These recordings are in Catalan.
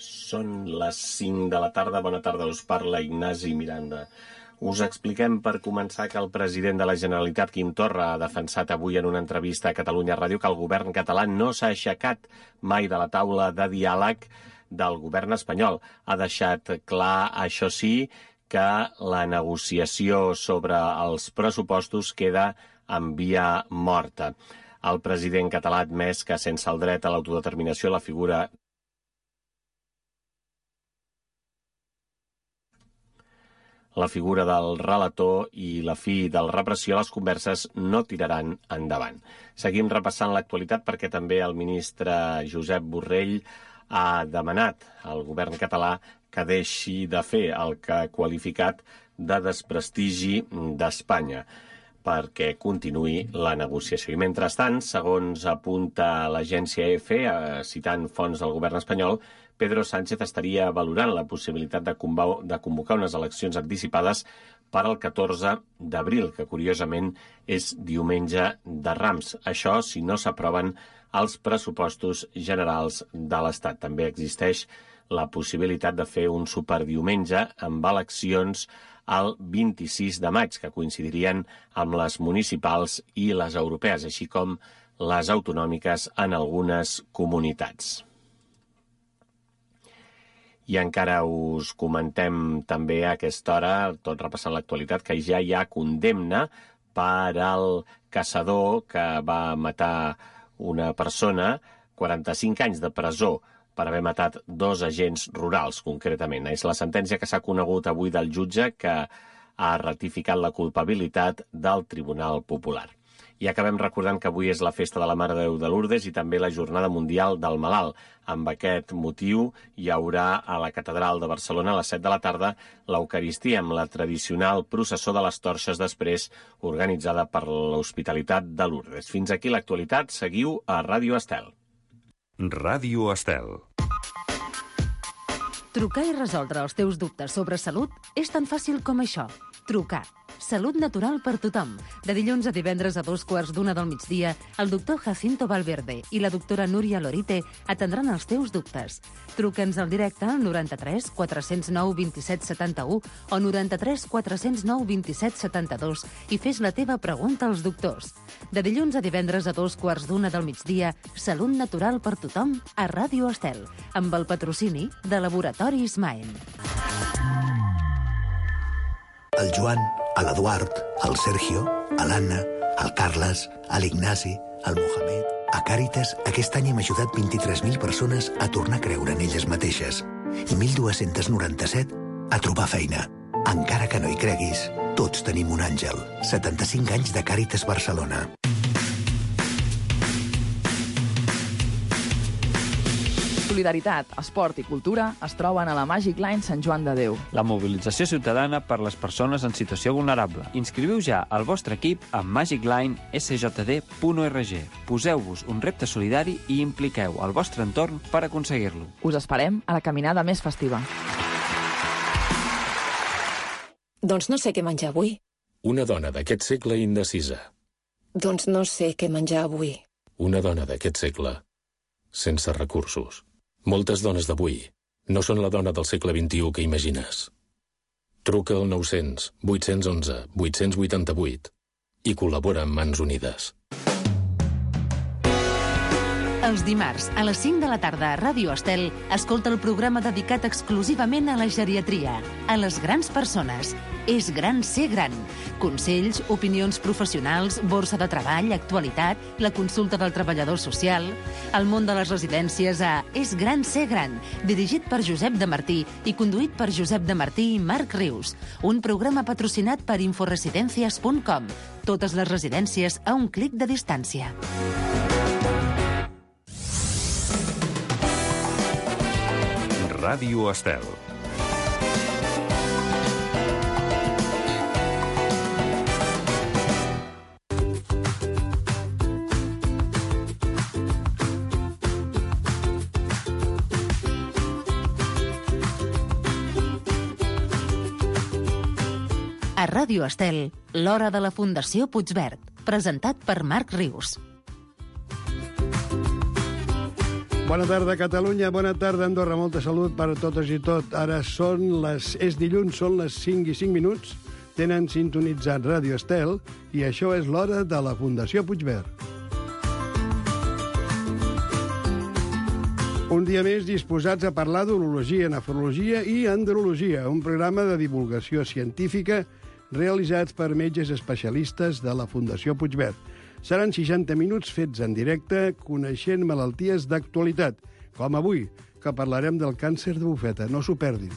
Són les 5 de la tarda. Bona tarda, us parla Ignasi Miranda. Us expliquem per començar que el president de la Generalitat, Quim Torra, ha defensat avui en una entrevista a Catalunya Ràdio que el govern català no s'ha aixecat mai de la taula de diàleg del govern espanyol. Ha deixat clar, això sí, que la negociació sobre els pressupostos queda en via morta. El president català ha admès que sense el dret a l'autodeterminació la figura del relator i la fi de la repressió, les converses no tiraran endavant. Seguim repassant l'actualitat perquè també el ministre Josep Borrell ha demanat al govern català que deixi de fer el que ha qualificat de desprestigi d'Espanya perquè continuï la negociació. I mentrestant, segons apunta l'agència EFE, citant fonts del govern espanyol, Pedro Sánchez estaria valorant la possibilitat de convocar unes eleccions anticipades per al 14 d'abril, que curiosament és diumenge de Rams. Això si no s'aproven els pressupostos generals de l'Estat. També existeix la possibilitat de fer un superdiumenge amb eleccions el 26 de maig, que coincidirien amb les municipals i les europees, així com les autonòmiques en algunes comunitats. I encara us comentem també a aquesta hora, tot repassant l'actualitat, que ja hi ha condemna per al caçador que va matar una persona, 45 anys de presó, per haver matat 2 agents rurals, concretament. És la sentència que s'ha conegut avui del jutge que ha ratificat la culpabilitat del Tribunal Popular. I acabem recordant que avui és la festa de la Mare de Déu de Lourdes i també la Jornada Mundial del Malalt. Amb aquest motiu hi haurà a la Catedral de Barcelona a les 7 de la tarda l'Eucaristia amb la tradicional processó de les torxes després organitzada per l'Hospitalitat de Lourdes. Fins aquí l'actualitat. Seguiu a Ràdio Estel. Ràdio Estel. Trucar i resoldre els teus dubtes sobre salut és tan fàcil com això. Trucar. Salut natural per tothom. De dilluns a divendres a 2:15 del migdia, el doctor Jacinto Valverde i la doctora Núria Lorite atendran els teus dubtes. Truca'ns al directe al 93 409 27 71 o 93 409 27 72 i fes la teva pregunta als doctors. De dilluns a divendres a 2:15 del migdia, Salut natural per tothom a Ràdio Estel, amb el patrocini de Laboratoris Maen. El Joan, l'Eduard, el Sergio, l'Anna, el Carles, l'Ignasi, el Mohamed... A Càritas, aquest any hem ajudat 23.000 persones a tornar a creure en elles mateixes i 1.297 a trobar feina. Encara que no hi creguis, tots tenim un àngel. 75 anys de Càritas Barcelona. Solidaritat, esport i cultura es troben a la Magic Line Sant Joan de Déu. La mobilització ciutadana per les persones en situació vulnerable. Inscriviu ja el vostre equip a magiclinesjd.org. Poseu-vos un repte solidari i impliqueu el vostre entorn per aconseguir-lo. Us esperem a la caminada més festiva. Doncs no sé què menjar avui. Una dona d'aquest segle indecisa. Doncs no sé què menjar avui. Una dona d'aquest segle sense recursos. Moltes dones d'avui no són la dona del segle XXI que imagines. Truca al 900 811 888 i col·labora amb Mans Unides. Els dimarts, a les 5 de la tarda a Ràdio Estel, escolta el programa dedicat exclusivament a la geriatria, a les grans persones. És gran ser gran. Consells, opinions professionals, borsa de treball, actualitat, la consulta del treballador social, el món de les residències a És gran ser gran, dirigit per Josep de Martí i conduït per Josep de Martí i Marc Rius. Un programa patrocinat per inforesidencias.com. Totes les residències a un clic de distància. Ràdio Estel. A Ràdio Estel, l'hora de la Fundació Puigverd, presentat per Marc Rius. Bona tarda, Catalunya. Bona tarda, Andorra. Molta salut per a totes i tot. Ara és dilluns, són les 5 i 5 minuts. Tenen sintonitzat Ràdio Estel i això és l'hora de la Fundació Puigverd. Un dia més disposats a parlar d'urologia, nefrologia i andrologia, un programa de divulgació científica realitzats per metges especialistes de la Fundació Puigverd. Seran 60 minuts fets en directe coneixent malalties d'actualitat, com avui, que parlarem del càncer de bufeta. No s'ho perdin.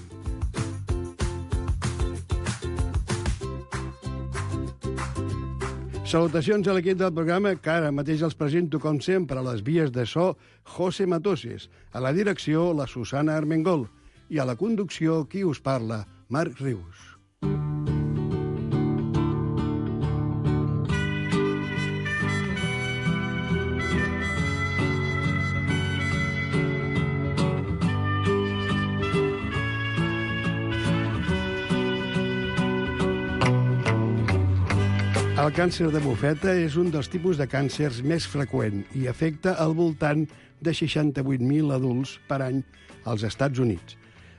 Salutacions a l'equip del programa, que ara mateix els presento, com sempre, a les vies de so, José Matoses, a la direcció, la Susana Armengol, i a la conducció, qui us parla, Marc Rius. El càncer de bufeta és un dels tipus de càncers més freqüent i afecta al voltant de 68.000 adults per any als Estats Units.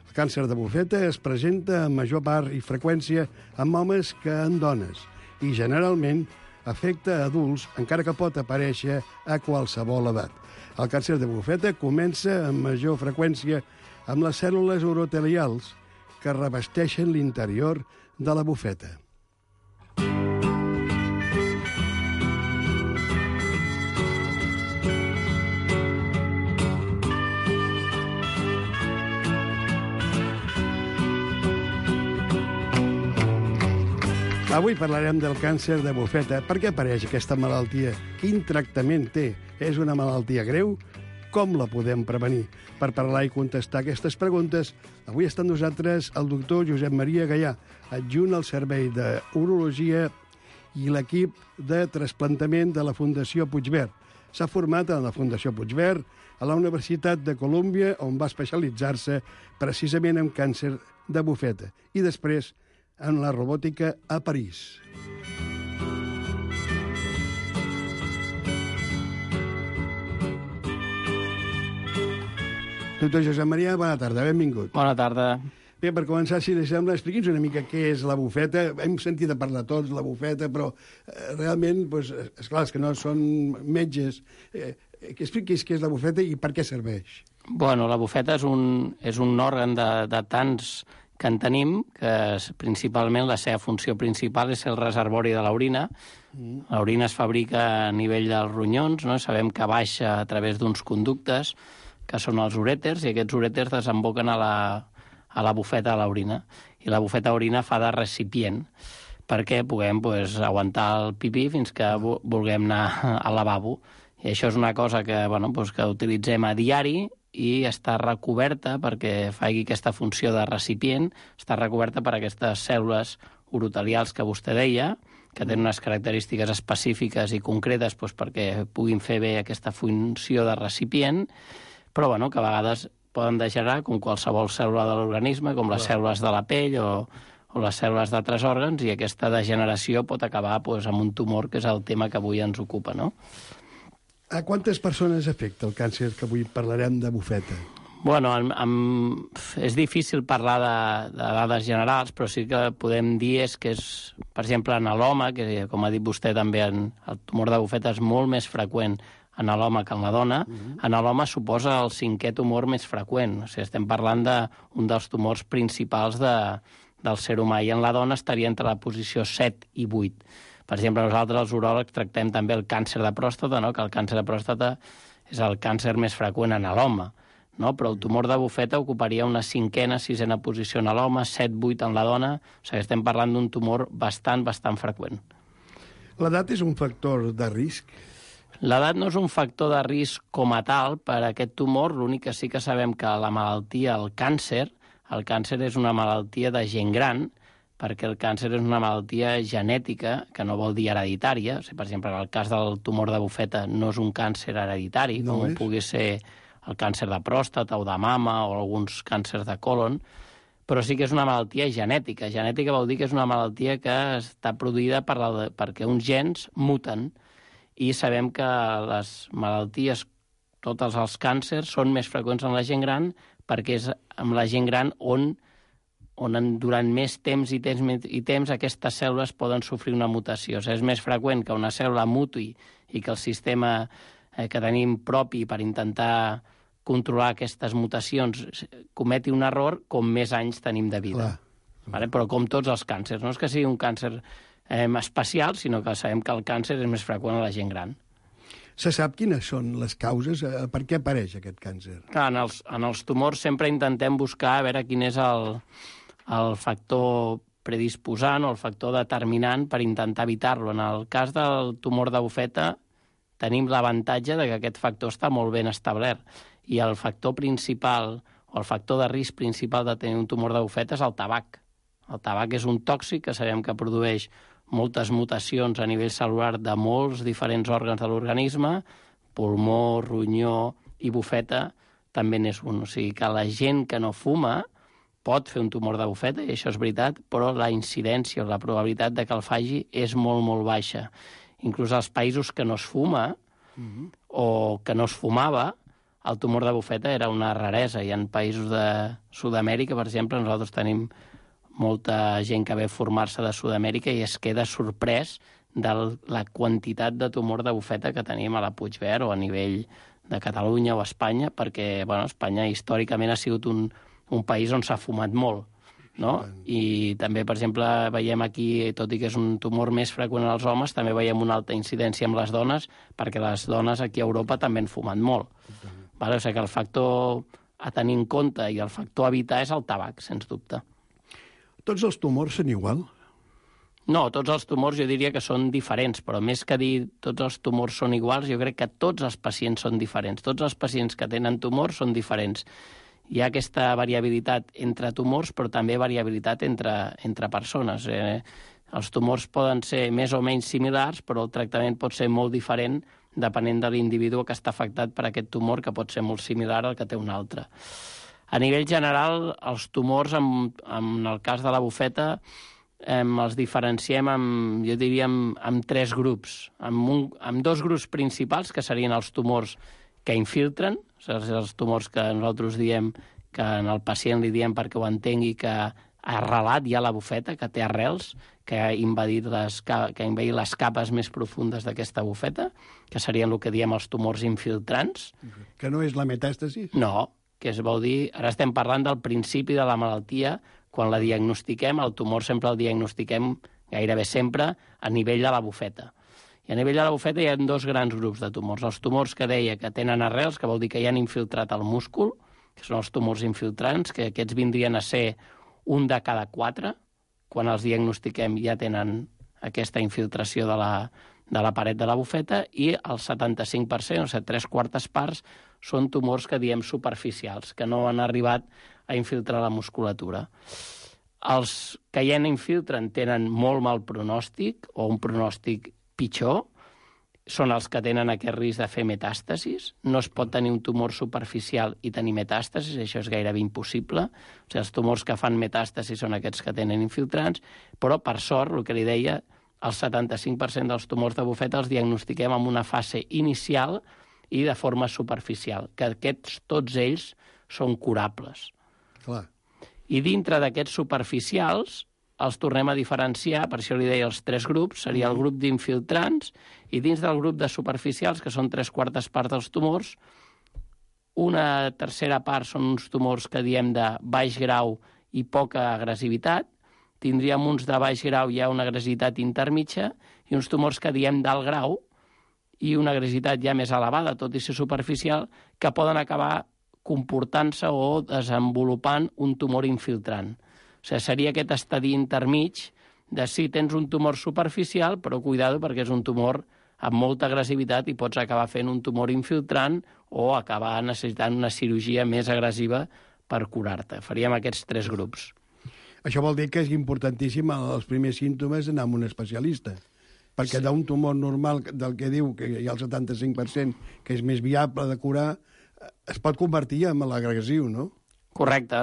El càncer de bufeta es presenta en major part i freqüència en homes que en dones i generalment afecta a adults, encara que pot aparèixer a qualsevol edat. El càncer de bufeta comença amb major freqüència amb les cèl·lules urotelials que revesteixen l'interior de la bufeta. Avui parlarem del càncer de bufeta. Per què apareix aquesta malaltia? Quin tractament té? És una malaltia greu? Com la podem prevenir? Per parlar i contestar aquestes preguntes, avui està amb nosaltres el doctor Josep Maria Gaià, adjunt al Servei d'Urologia i l'equip de trasplantament de la Fundació Puigverd. S'ha format a la Fundació Puigverd a la Universitat de Colúmbia, on va especialitzar-se precisament en càncer de bufeta, i després en la robòtica a París. Doctor Josep Maria, bona tarda, benvingut. Bona tarda. Bé, per començar, si li sembla, expliqui'ns una mica què és la bufeta. Hem sentit a parlar tots la bufeta, però realment, esclar, és que no són metges. Que expliquis què és la bufeta i per què serveix. Bueno, la bufeta és un òrgan de tants que en tenim, que principalment la seva funció principal és el reservori de l'orina. L'orina es fabrica a nivell dels ronyons, no? Sabem que baixa a través d'uns conductes, que són els urèters, i aquests urèters desemboquen a la bufeta de l'orina. I la bufeta d'orina fa de recipient perquè puguem aguantar el pipí fins que vulguem anar al lavabo. I això és una cosa que utilitzem a diari, i està recoberta, perquè faci aquesta funció de recipient, està recoberta per aquestes cèl·lules urotelials que vostè deia, que tenen unes característiques específiques i concretes perquè puguin fer bé aquesta funció de recipient, però que a vegades poden degenerar com qualsevol cèl·lula de l'organisme, com les cèl·lules de la pell o les cèl·lules d'altres òrgans, i aquesta degeneració pot acabar amb un tumor, que és el tema que avui ens ocupa, no? A quantes persones afecta el càncer que avui parlarem de bufeta? Bueno, és difícil parlar de dades generals, però sí que podem dir que és, per exemple, en l'home, que com ha dit vostè també, el tumor de bufeta és molt més freqüent en l'home que en la dona. En l'home suposa el 5è tumor més freqüent. O sigui, estem parlant d'un dels tumors principals del ser humà, i en la dona estaria entre la posició 7 i 8. Per exemple, nosaltres, els uròlegs, tractem també el càncer de pròstata, no? Que el càncer de pròstata és el càncer més freqüent en l'home, no? Però el tumor de bufeta ocuparia una 5a, 6a posició en l'home, 7, 8 en la dona. O sigui, estem parlant d'un tumor bastant freqüent. L'edat és un factor de risc? L'edat no és un factor de risc com a tal per a aquest tumor. L'únic que sí que sabem que la malaltia, el càncer és una malaltia de gent gran, perquè el càncer és una malaltia genètica, que no vol dir hereditària. O sigui, per exemple, en el cas del tumor de bufeta no és un càncer hereditari, com pugui ser el càncer de pròstata o de mama o alguns càncers de còlon, però sí que és una malaltia genètica. Genètica vol dir que és una malaltia que està produïda perquè uns gens muten, i sabem que les malalties tots els càncers són més freqüents en la gent gran perquè és amb la gent gran on durant més temps i temps aquestes cèl·lules poden sofrir una mutació. O sigui, és més freqüent que una cèl·lula mutui i que el sistema que tenim propi per intentar controlar aquestes mutacions cometi un error, com més anys tenim de vida. Vale? Però com tots els càncers. No és que sigui un càncer especial, sinó que sabem que el càncer és més freqüent a la gent gran. Se sap quines són les causes? Per què apareix aquest càncer? Clar, en els tumors sempre intentem buscar a veure quin és el factor predisposant o el factor determinant per intentar evitar-lo. En el cas del tumor de bufeta tenim l'avantatge que aquest factor està molt ben establert i el factor principal o el factor de risc principal de tenir un tumor de bufeta és el tabac. El tabac és un tòxic que sabem que produeix moltes mutacions a nivell cel·lular de molts diferents òrgans de l'organisme, pulmó, ronyó i bufeta també n'és un. O sigui que la gent que no fuma pot fer un tumor de bufeta, i això és veritat, però la incidència o la probabilitat de que el faci és molt, molt baixa. Inclús als països que no es fuma o que no es fumava, el tumor de bufeta era una raresa. I en països de Sud-amèrica, per exemple, nosaltres tenim molta gent que ve a formar-se de Sud-amèrica i es queda sorprès de la quantitat de tumor de bufeta que tenim a la Puigverd o a nivell de Catalunya o Espanya, perquè Espanya històricament ha sigut un país on s'ha fumat molt, no? I també, per exemple, veiem aquí, tot i que és un tumor més freqüent als homes, també veiem una alta incidència amb les dones, perquè les dones aquí a Europa també han fumat molt. O sigui que el factor a tenir en compte i el factor a evitar és el tabac, sens dubte. Tots els tumors són igual? No, tots els tumors jo diria que són diferents, però més que dir tots els tumors són iguals, jo crec que tots els pacients són diferents. Tots els pacients que tenen tumors són diferents. Hi ha aquesta variabilitat entre tumors, però també variabilitat entre persones. Els tumors poden ser més o menys similars, però el tractament pot ser molt diferent depenent de l'individu que està afectat per aquest tumor, que pot ser molt similar al que té un altre. A nivell general, els tumors, en el cas de la bufeta, els diferenciem, jo diria, en 3 grups. En 2 grups principals, que serien els tumors que infiltren, els tumors que nosaltres diem, que en el pacient li diem perquè ho entengui, que ha arrelat ja la bufeta, que té arrels, que ha invadit les capes més profundes d'aquesta bufeta, que serien el que diem els tumors infiltrants. Que no és la metàstasi? No, que es vol dir, ara estem parlant del principi de la malaltia, quan la diagnostiquem, el tumor sempre el diagnostiquem gairebé sempre a nivell de la bufeta. I a nivell de la bufeta hi ha 2 grans grups de tumors. Els tumors que deia que tenen arrels, que vol dir que ja han infiltrat el múscul, que són els tumors infiltrants, que aquests vindrien a ser 1 de cada 4, quan els diagnostiquem ja tenen aquesta infiltració de la paret de la bufeta, i el 75%, o sigui, 3/4 parts, són tumors que diem superficials, que no han arribat a infiltrar la musculatura. Els que ja infiltren tenen molt mal pronòstic, o un pronòstic pitjor, són els que tenen aquest risc de fer metàstasis. No es pot tenir un tumor superficial i tenir metàstasis, això és gairebé impossible. O sigui, els tumors que fan metàstasis són aquests que tenen infiltrants, però, per sort, el que li deia, el 75% dels tumors de bufeta els diagnostiquem en una fase inicial i de forma superficial, que aquests, tots ells, són curables. Clar. I dintre d'aquests superficials els tornem a diferenciar, per això li deia els 3 grups, seria el grup d'infiltrants, i dins del grup de superficials, que són 3/4 parts dels tumors, una tercera part són uns tumors que diem de baix grau i poca agressivitat, tindríem uns de baix grau i ja una agressivitat intermitja, i uns tumors que diem d'alt grau i una agressivitat ja més elevada, tot i ser superficial, que poden acabar comportant-se o desenvolupant un tumor infiltrant. O sigui, seria aquest estadi intermig de si tens un tumor superficial, però cuidado perquè és un tumor amb molta agressivitat i pots acabar fent un tumor infiltrant o acabar necessitant una cirurgia més agressiva per curar-te. Faríem aquests 3 grups. Això vol dir que és importantíssim els primers símptomes anar a un especialista, perquè d'un tumor normal del que diu que hi ha el 75%, que és més viable de curar, es pot convertir en l'agressiu, no? Correcte.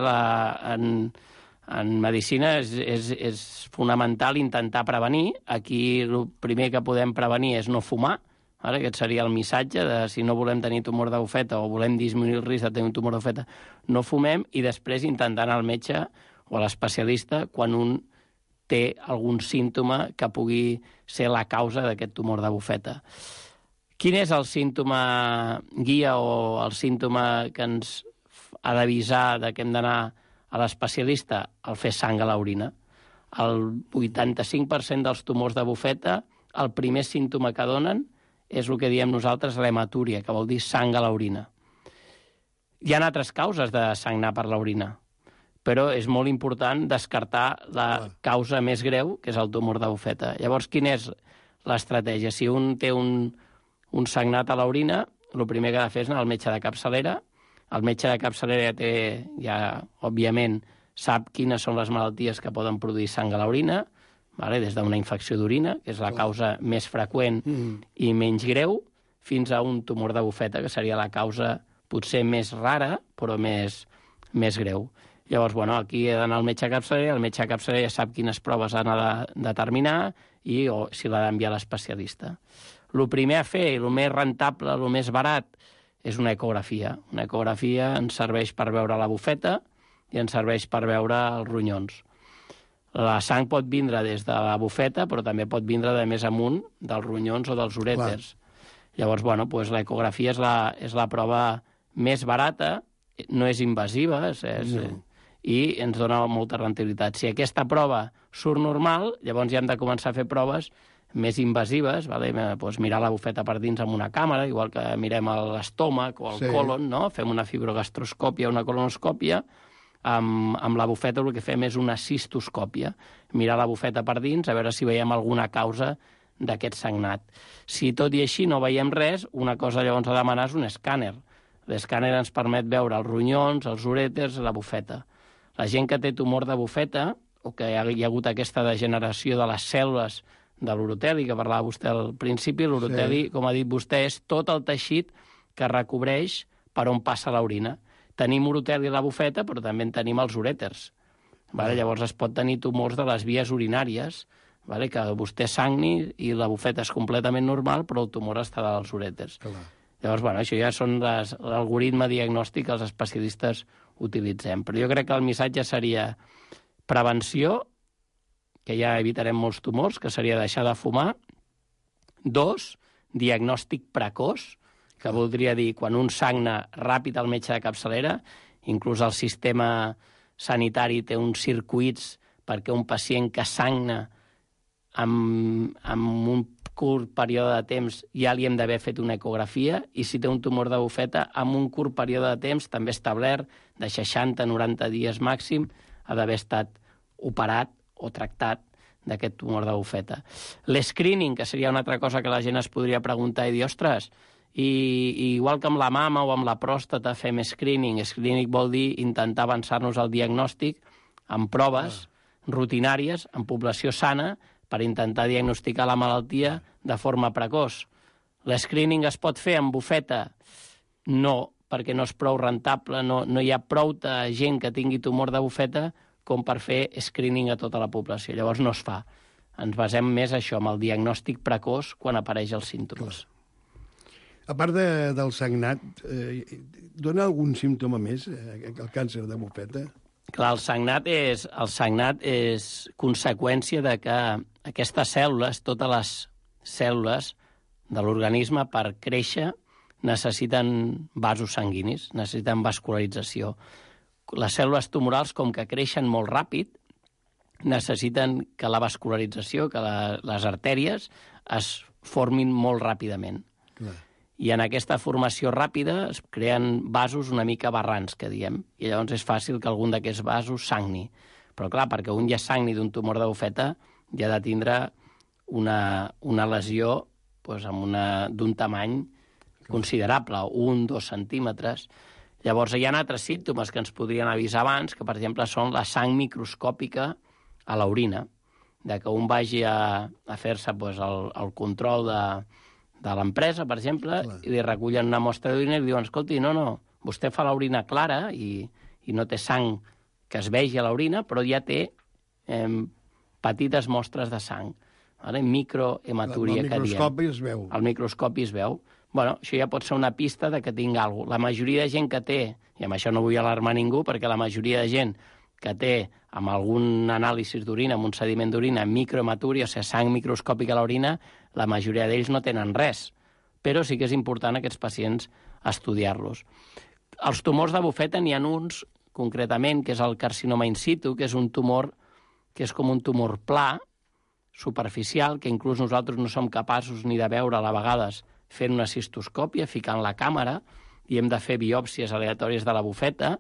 En medicina és fonamental intentar prevenir. Aquí el primer que podem prevenir és no fumar. Ara, aquest seria el missatge de si no volem tenir tumor de bufeta o volem disminuir el risc de tenir un tumor de bufeta, no fumem, i després intentar anar al metge o a l'especialista quan un té algun símptoma que pugui ser la causa d'aquest tumor de bufeta. Quin és el símptoma guia o el símptoma que ens ha d'avisar que hem d'anar a l'especialista? El fer sang a l'orina. El 85% dels tumors de bufeta, el primer símptoma que donen és el que diem nosaltres l'hematúria, que vol dir sang a l'orina. Hi ha altres causes de sagnar per l'orina, però és molt important descartar la causa més greu, que és el tumor de bufeta. Llavors, quina és l'estratègia? Si un té un sagnat a l'orina, el primer que ha de fer és anar al metge de capçalera. El metge de capçalera òbviament, sap quines són les malalties que poden produir sang a l'orina, des d'una infecció d'orina, que és la causa més freqüent i menys greu, fins a un tumor de bufeta, que seria la causa potser més rara, però més greu. Llavors, aquí he d'anar al metge de capçalera, el metge de capçalera ja sap quines proves ha de determinar i si l'ha d'enviar a l'especialista. El primer a fer, el més rentable, el més barat, és una ecografia. Una ecografia ens serveix per veure la bufeta i ens serveix per veure els ronyons. La sang pot vindre des de la bufeta, però també pot vindre de més amunt, dels ronyons o dels urèters. Llavors, l'ecografia és la prova més barata, no és invasiva, i ens dona molta rendibilitat. Si aquesta prova surt normal, llavors ja hem de començar a fer proves més invasives, mirar la bufeta per dins amb una càmera, igual que mirem l'estómac o el colon, no? Fem una fibrogastroscòpia, una colonoscòpia. Amb la bufeta el que fem és una cistoscòpia, mirar la bufeta per dins, a veure si veiem alguna causa d'aquest sagnat. Si tot i així no veiem res, una cosa llavors a demanar és un escàner. L'escàner ens permet veure els ronyons, els urèters, la bufeta. La gent que té tumor de bufeta, o que hi ha hagut aquesta degeneració de les cèl·lules de l'uroteli, que parlava vostè al principi, l'uroteli, com ha dit vostè, és tot el teixit que recobreix per on passa l'orina. Tenim uroteli a la bufeta, però també en tenim els urèters. Llavors es pot tenir tumors de les vies urinàries, que vostè sagni i la bufeta és completament normal, però el tumor està dels urèters. Llavors, això ja són l'algoritme diagnòstic que els especialistes utilitzem. Però jo crec que el missatge seria prevenció, que ja evitarem molts tumors, que seria deixar de fumar. 2, diagnòstic precoç, que voldria dir quan un sagna ràpid al metge de capçalera, inclús el sistema sanitari té uns circuits perquè un pacient que sagna amb un curt període de temps ja li hem d'haver fet una ecografia, i si té un tumor de bufeta, amb un curt període de temps, també establert, de 60-90 dies màxim, ha d'haver estat operat o tractat d'aquest tumor de bufeta. L'escreening, que seria una altra cosa que la gent es podria preguntar i dir, ostres, i igual que amb la mama o amb la pròstata fem screening. Screening vol dir intentar avançar-nos al diagnòstic amb proves rutinàries en població sana per intentar diagnosticar la malaltia de forma precoç. L'escreening es pot fer amb bufeta? No, perquè no és prou rentable, no hi ha prou gent que tingui tumor de bufeta com per fer screening a tota la població. Llavors no es fa. Ens basem més això, amb el diagnòstic precoç quan apareix els símptomes. A part del sagnat, dona algun símptoma més, el càncer de bufeta? Clar, el sagnat és conseqüència de que aquestes cèl·lules, totes les cèl·lules de l'organisme, per créixer, necessiten vasos sanguinis, necessiten vascularització. Les cèl·lules tumorals, com que creixen molt ràpid, necessiten que la vascularització, que les artèries, es formin molt ràpidament. Clar. I en aquesta formació ràpida es creen vasos una mica barrans, que diem, i llavors és fàcil que algun d'aquests vasos sagni. Però clar, perquè un ja sagni d'un tumor de bufeta, ja ha de tindre una lesió d'un tamany considerable, 1-2 centímetres. Llavors hi ha altres símptomes que ens podrien avisar abans, que per exemple són la sang microscòpica a l'orina, de que un vagi a fer-se el control de l'empresa, per exemple, i li recullen una mostra d'orina i li diuen, escolti, no, vostè fa l'orina clara i no té sang que es vegi a l'orina, però ja té petites mostres de sang. microhematúria que diem. El microscopi es veu. El microscopi es veu. Bueno, això ja pot ser una pista de que tinc alguna cosa. La majoria de gent que té, i amb això no vull alarmar ningú, perquè la majoria de gent que té amb algun anàlisi d'orina, amb un sediment d'orina, microhematúria, o sigui, sang microscòpica a l'orina, la majoria d'ells no tenen res. Però sí que és important aquests pacients estudiar-los. Els tumors de bufeta n'hi ha uns, concretament, que és el carcinoma in situ, que és un tumor que és com un tumor pla, superficial, que inclús nosaltres no som capaços ni de veure a vegades fent una cistoscòpia, ficant la càmera, i hem de fer biòpsies aleatòries de la bufeta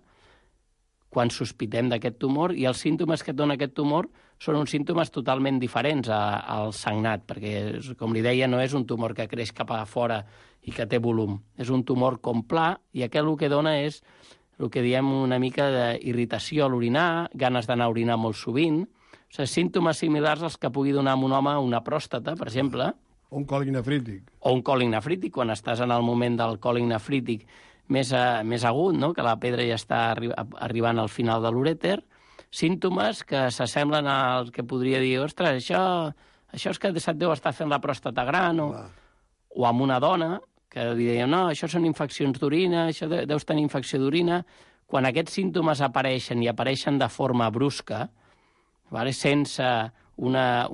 quan sospitem d'aquest tumor, i els símptomes que dona aquest tumor són uns símptomes totalment diferents al sagnat, perquè, com li deia, no és un tumor que creix cap a fora i que té volum. És un tumor com pla, i aquest el que dona és el que diem una mica d'irritació a l'orinar, ganes d'anar a orinar molt sovint, o sigui, símptomes similars als que pugui donar a un home una pròstata, per exemple. O un còlic nefrític. O un còlic nefrític, quan estàs en el moment del còlic nefrític més agut, no? Que la pedra ja està arribant al final de l'urèter, símptomes que s'assemblen al que podria dir, ostres, això és que se't deu estar fent la pròstata gran, o amb una dona, que li deien, no, això són infeccions d'orina, això deus tenir infecció d'orina. Quan aquests símptomes apareixen, i apareixen de forma brusca, sense una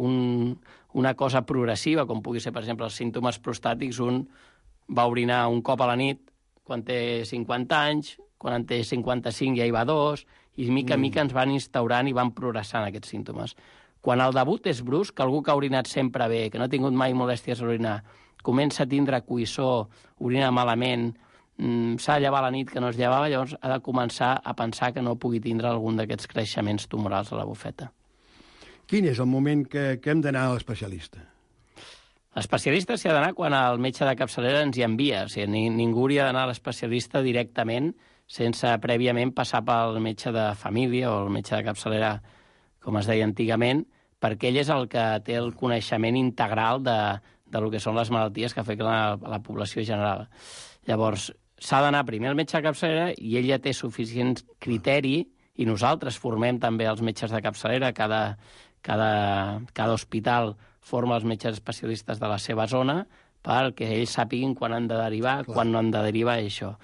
cosa progressiva, com pugui ser, per exemple, els símptomes prostàtics, un va orinar un cop a la nit quan té 50 anys, quan en té 55 ja hi va 2, i mica en mica ens van instaurant i van progressant aquests símptomes. Quan el debut és brusc, algú que ha orinat sempre bé, que no ha tingut mai molèsties a orinar, comença a tindre coïssor, orina malament, s'ha de llevar a la nit que no es llevava, llavors ha de començar a pensar que no pugui tindre algun d'aquests creixements tumorals a la bufeta. Quin és el moment que hem d'anar a l'especialista? L'especialista s'hi ha d'anar quan el metge de capçalera ens hi envia. O sigui, ningú hauria d'anar a l'especialista directament sense prèviament passar pel metge de família o el metge de capçalera, com es deia antigament, perquè ell és el que té el coneixement integral de lo que són les malalties que afecten a la població general. Llavors, s'ha d'anar primer al metge de capçalera i ell ja té suficient criteri, i nosaltres formem també els metges de capçalera, cada hospital forma els metges especialistes de la seva zona perquè ells sàpiguin quan han de derivar, quan no han de derivar, i això.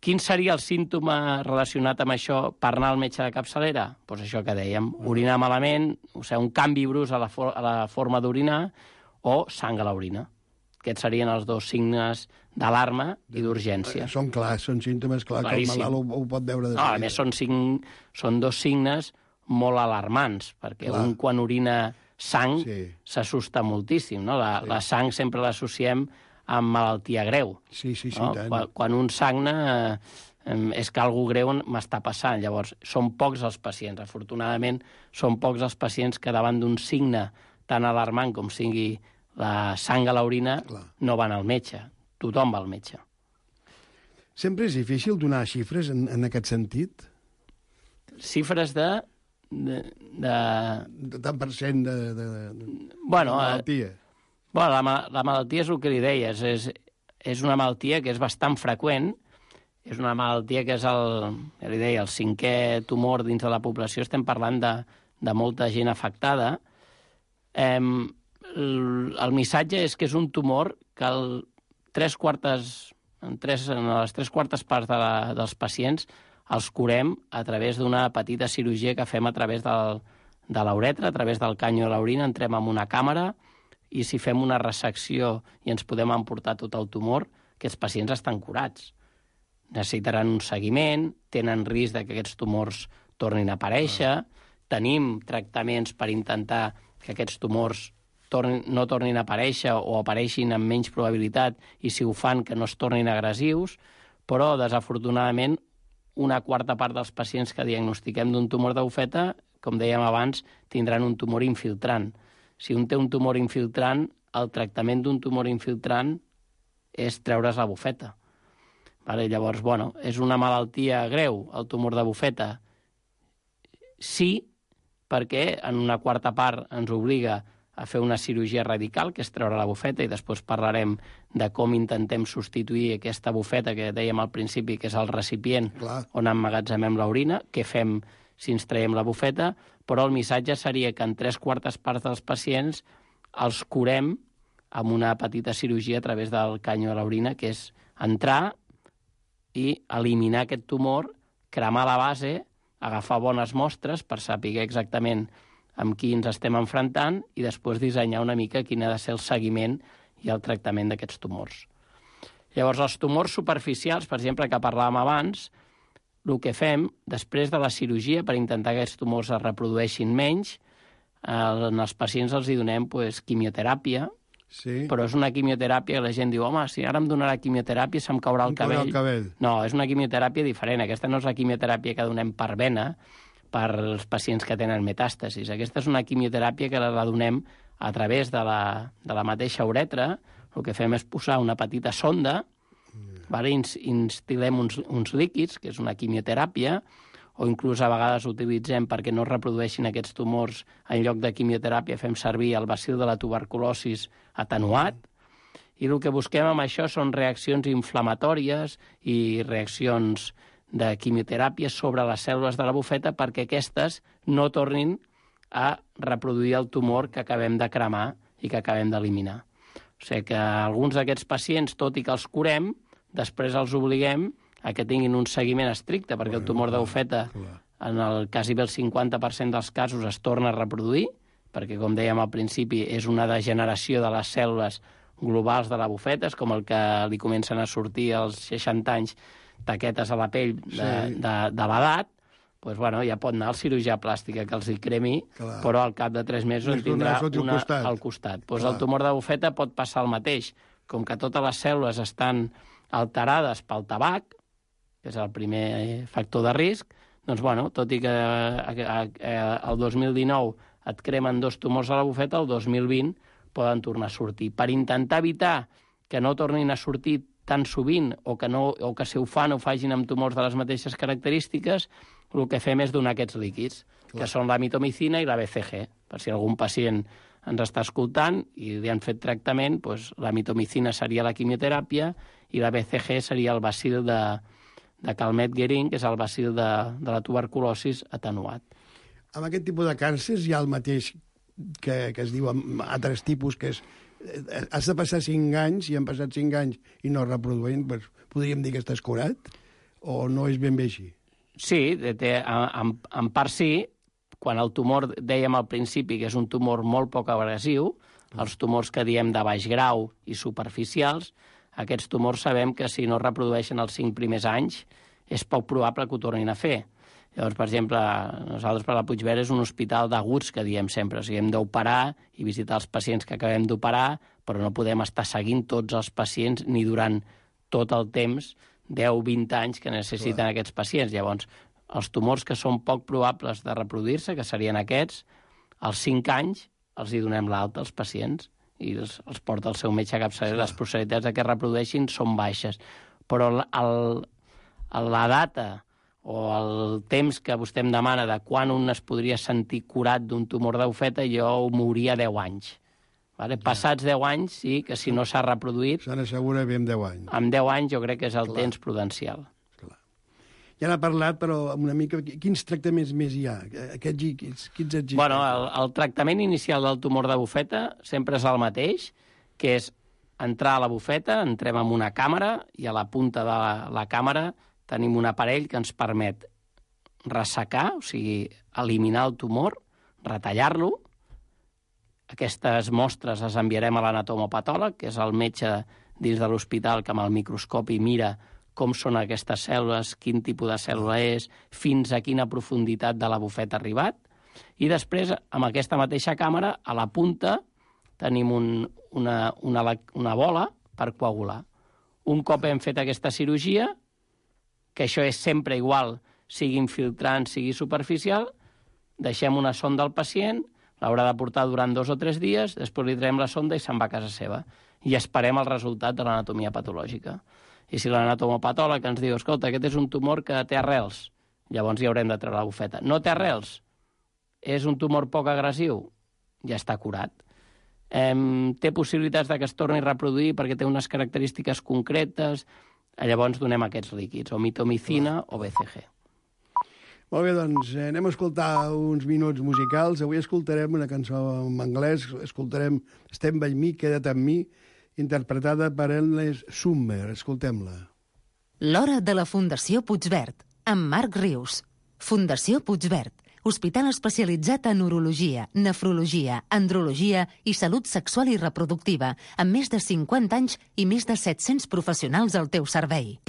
Quin seria el símptoma relacionat amb això per anar al metge de capçalera? Doncs això que dèiem, orinar malament, o sigui, un canvi brusc a la forma d'orinar o sang a l'orina. Aquests serien els dos signes d'alarma i d'urgència. Són clars, són símptomes clars, que el malalt ho pot veure de seguida. A més, són dos signes molt alarmants, perquè un quan orina sang s'assusta moltíssim, no? La sang sempre l'associem amb malaltia greu. Sí, no? tant. Quan un sagna és que algú greu m'està passant. Llavors, són pocs els pacients. Afortunadament, són pocs els pacients que davant d'un signe tan alarmant com sigui la sang a l'orina no van al metge. Tothom va al metge. Sempre és difícil donar xifres en aquest sentit? Xifres de tant per cent de malaltia. La malaltia és el que li deies. És una malaltia que és bastant freqüent. És una malaltia que és el 5è tumor dins de la població. Estem parlant de molta gent afectada. El missatge és que és un tumor que en les 3 quartes parts dels pacients els curem a través d'una petita cirurgia que fem a través de l'uretra, a través del canyo de l'orina, entrem amb una càmera i si fem una resecció i ens podem emportar tot el tumor, aquests pacients estan curats. Necessitaran un seguiment, tenen risc que aquests tumors tornin a aparèixer, tenim tractaments per intentar que aquests tumors no tornin a aparèixer o apareixin amb menys probabilitat i si ho fan que no es tornin agressius, però desafortunadament una quarta part dels pacients que diagnostiquem d'un tumor de bufeta, com dèiem abans, tindran un tumor infiltrant. Si un té un tumor infiltrant, el tractament d'un tumor infiltrant és treure's la bufeta. Llavors, és una malaltia greu, el tumor de bufeta? Sí, perquè en una quarta part ens obliga a fer una cirurgia radical, que és treure la bufeta, i després parlarem de com intentem substituir aquesta bufeta que dèiem al principi, que és el recipient on emmagatzemem l'orina, què fem si ens traiem la bufeta, però el missatge seria que en 3 quartes parts dels pacients els curem amb una petita cirurgia a través del canyo de l'orina, que és entrar i eliminar aquest tumor, cremar la base, agafar bones mostres per saber exactament amb qui ens estem enfrontant i després dissenyar una mica quin ha de ser el seguiment i el tractament d'aquests tumors. Llavors, els tumors superficials, per exemple, que parlàvem abans, el que fem, després de la cirurgia, per intentar que aquests tumors es reprodueixin menys, als pacients els hi donem quimioteràpia, sí. Però és una quimioteràpia que la gent diu, home, si ara em donarà quimioteràpia se'm caurà el cabell. No, és una quimioteràpia diferent. Aquesta no és la quimioteràpia que donem per vena per als pacients que tenen metàstasis. Aquesta és una quimioteràpia que la donem a través de la mateixa uretra. El que fem és posar una petita sonda, instil·lem uns líquids, que és una quimioteràpia, o inclús a vegades utilitzem perquè no es reprodueixin aquests tumors, en lloc de quimioteràpia fem servir el bacil de la tuberculosis atenuat, i el que busquem amb això són reaccions inflamatòries i reaccions de quimioteràpia sobre les cèl·lules de la bufeta perquè aquestes no tornin a reproduir el tumor que acabem de cremar i que acabem d'eliminar. O sigui que alguns d'aquests pacients, tot i que els curem, després els obliguem a que tinguin un seguiment estricte, perquè el tumor de bufeta, en el quasi el 50% dels casos, es torna a reproduir, perquè, com dèiem al principi, és una degeneració de les cèl·lules globals de la bufeta, és com el que li comencen a sortir als 60 anys taquetes a la pell de l'edat, doncs, bueno, ja pot anar al cirurgià plàstica que els hi cremi, però al cap de 3 mesos en tindrà una al costat. Doncs el tumor de bufeta pot passar el mateix. Com que totes les cèl·lules estan alterades pel tabac, que és el primer factor de risc, doncs, bueno, tot i que el 2019 et cremen 2 tumors a la bufeta, el 2020 poden tornar a sortir. Per intentar evitar que no tornin a sortir tan sovint o que si ho fan ho facin amb tumors de les mateixes característiques, el que fem és donar aquests líquids, que són la mitomicina i la BCG. Per si algun pacient ens està escoltant i li han fet tractament, doncs la mitomicina seria la quimioteràpia i la BCG seria el bacil de Calmette-Guerin, que és el bacil de la tuberculosis atenuat. Amb aquest tipus de càncers hi ha el mateix que es diu amb altres tipus, que és has de passar 5 anys, i han passat 5 anys i no es reproduint, doncs podríem dir que estàs curat? O no és ben bé així? Sí, en part sí. Quan el tumor, dèiem al principi, que és un tumor molt poc agressiu, els tumors que diem de baix grau i superficials, aquests tumors sabem que si no es reprodueixen els 5 primers anys és poc probable que ho tornin a fer. Llavors, per exemple, nosaltres per la Puigverd és un hospital d'aguts que diem sempre. O sigui, hem d'operar i visitar els pacients que acabem d'operar, però no podem estar seguint tots els pacients ni durant tot el temps, 10-20 anys que necessiten aquests pacients. Llavors, els tumors que són poc probables de reproduir-se, que serien aquests, als 5 anys els hi donem l'alta als pacients i els porta el seu metge capçaler. Les possibilitats de que es reprodueixin són baixes. Però la data o el temps que vostè em demana de quan un es podria sentir curat d'un tumor de bufeta, jo ho mouria 10 anys. Vale? Passats 10 anys, sí, que si no s'ha reproduït... Se n'assegura bé amb 10 anys. Amb 10 anys jo crec que és el temps prudencial. Ja n'ha parlat, però una mica... Quins tractaments més hi ha? Quins existeixen? Bueno, el tractament inicial del tumor de bufeta sempre és el mateix, que és entrar a la bufeta, entrem en una càmera i a la punta de la càmera tenim un aparell que ens permet ressecar, o sigui, eliminar el tumor, retallar-lo. Aquestes mostres les enviarem a l'anatomopatòleg, que és el metge dins de l'hospital que amb el microscopi mira com són aquestes cèl·lules, quin tipus de cèl·lula és, fins a quina profunditat de la bufeta ha arribat. I després, amb aquesta mateixa càmera, a la punta tenim una bola per coagular. Un cop hem fet aquesta cirurgia, que això és sempre igual, sigui infiltrant, sigui superficial, deixem una sonda al pacient, l'haurà de portar durant 2 o 3 dies, després li traiem la sonda i se'n va a casa seva. I esperem el resultat de l'anatomia patològica. I si l'anatomopatòleg ens diu, escolta, aquest és un tumor que té arrels, llavors hi haurem de treure la bufeta. No té arrels, és un tumor poc agressiu, ja està curat. Té possibilitats de que es torni a reproduir perquè té unes característiques concretes, llavors donem aquests líquids, o mitomicina o BCG. Molt bé, doncs anem a escoltar uns minuts musicals. Avui escoltarem una cançó en anglès, escoltarem Stand By Me, Queda't amb mi, interpretada per Endless Summer. Escoltem-la. L'hora de la Fundació Puigverd, amb Marc Rius. Fundació Puigverd, hospital especialitzat en urologia, nefrologia, andrologia i salut sexual i reproductiva, amb més de 50 anys i més de 700 professionals al teu servei.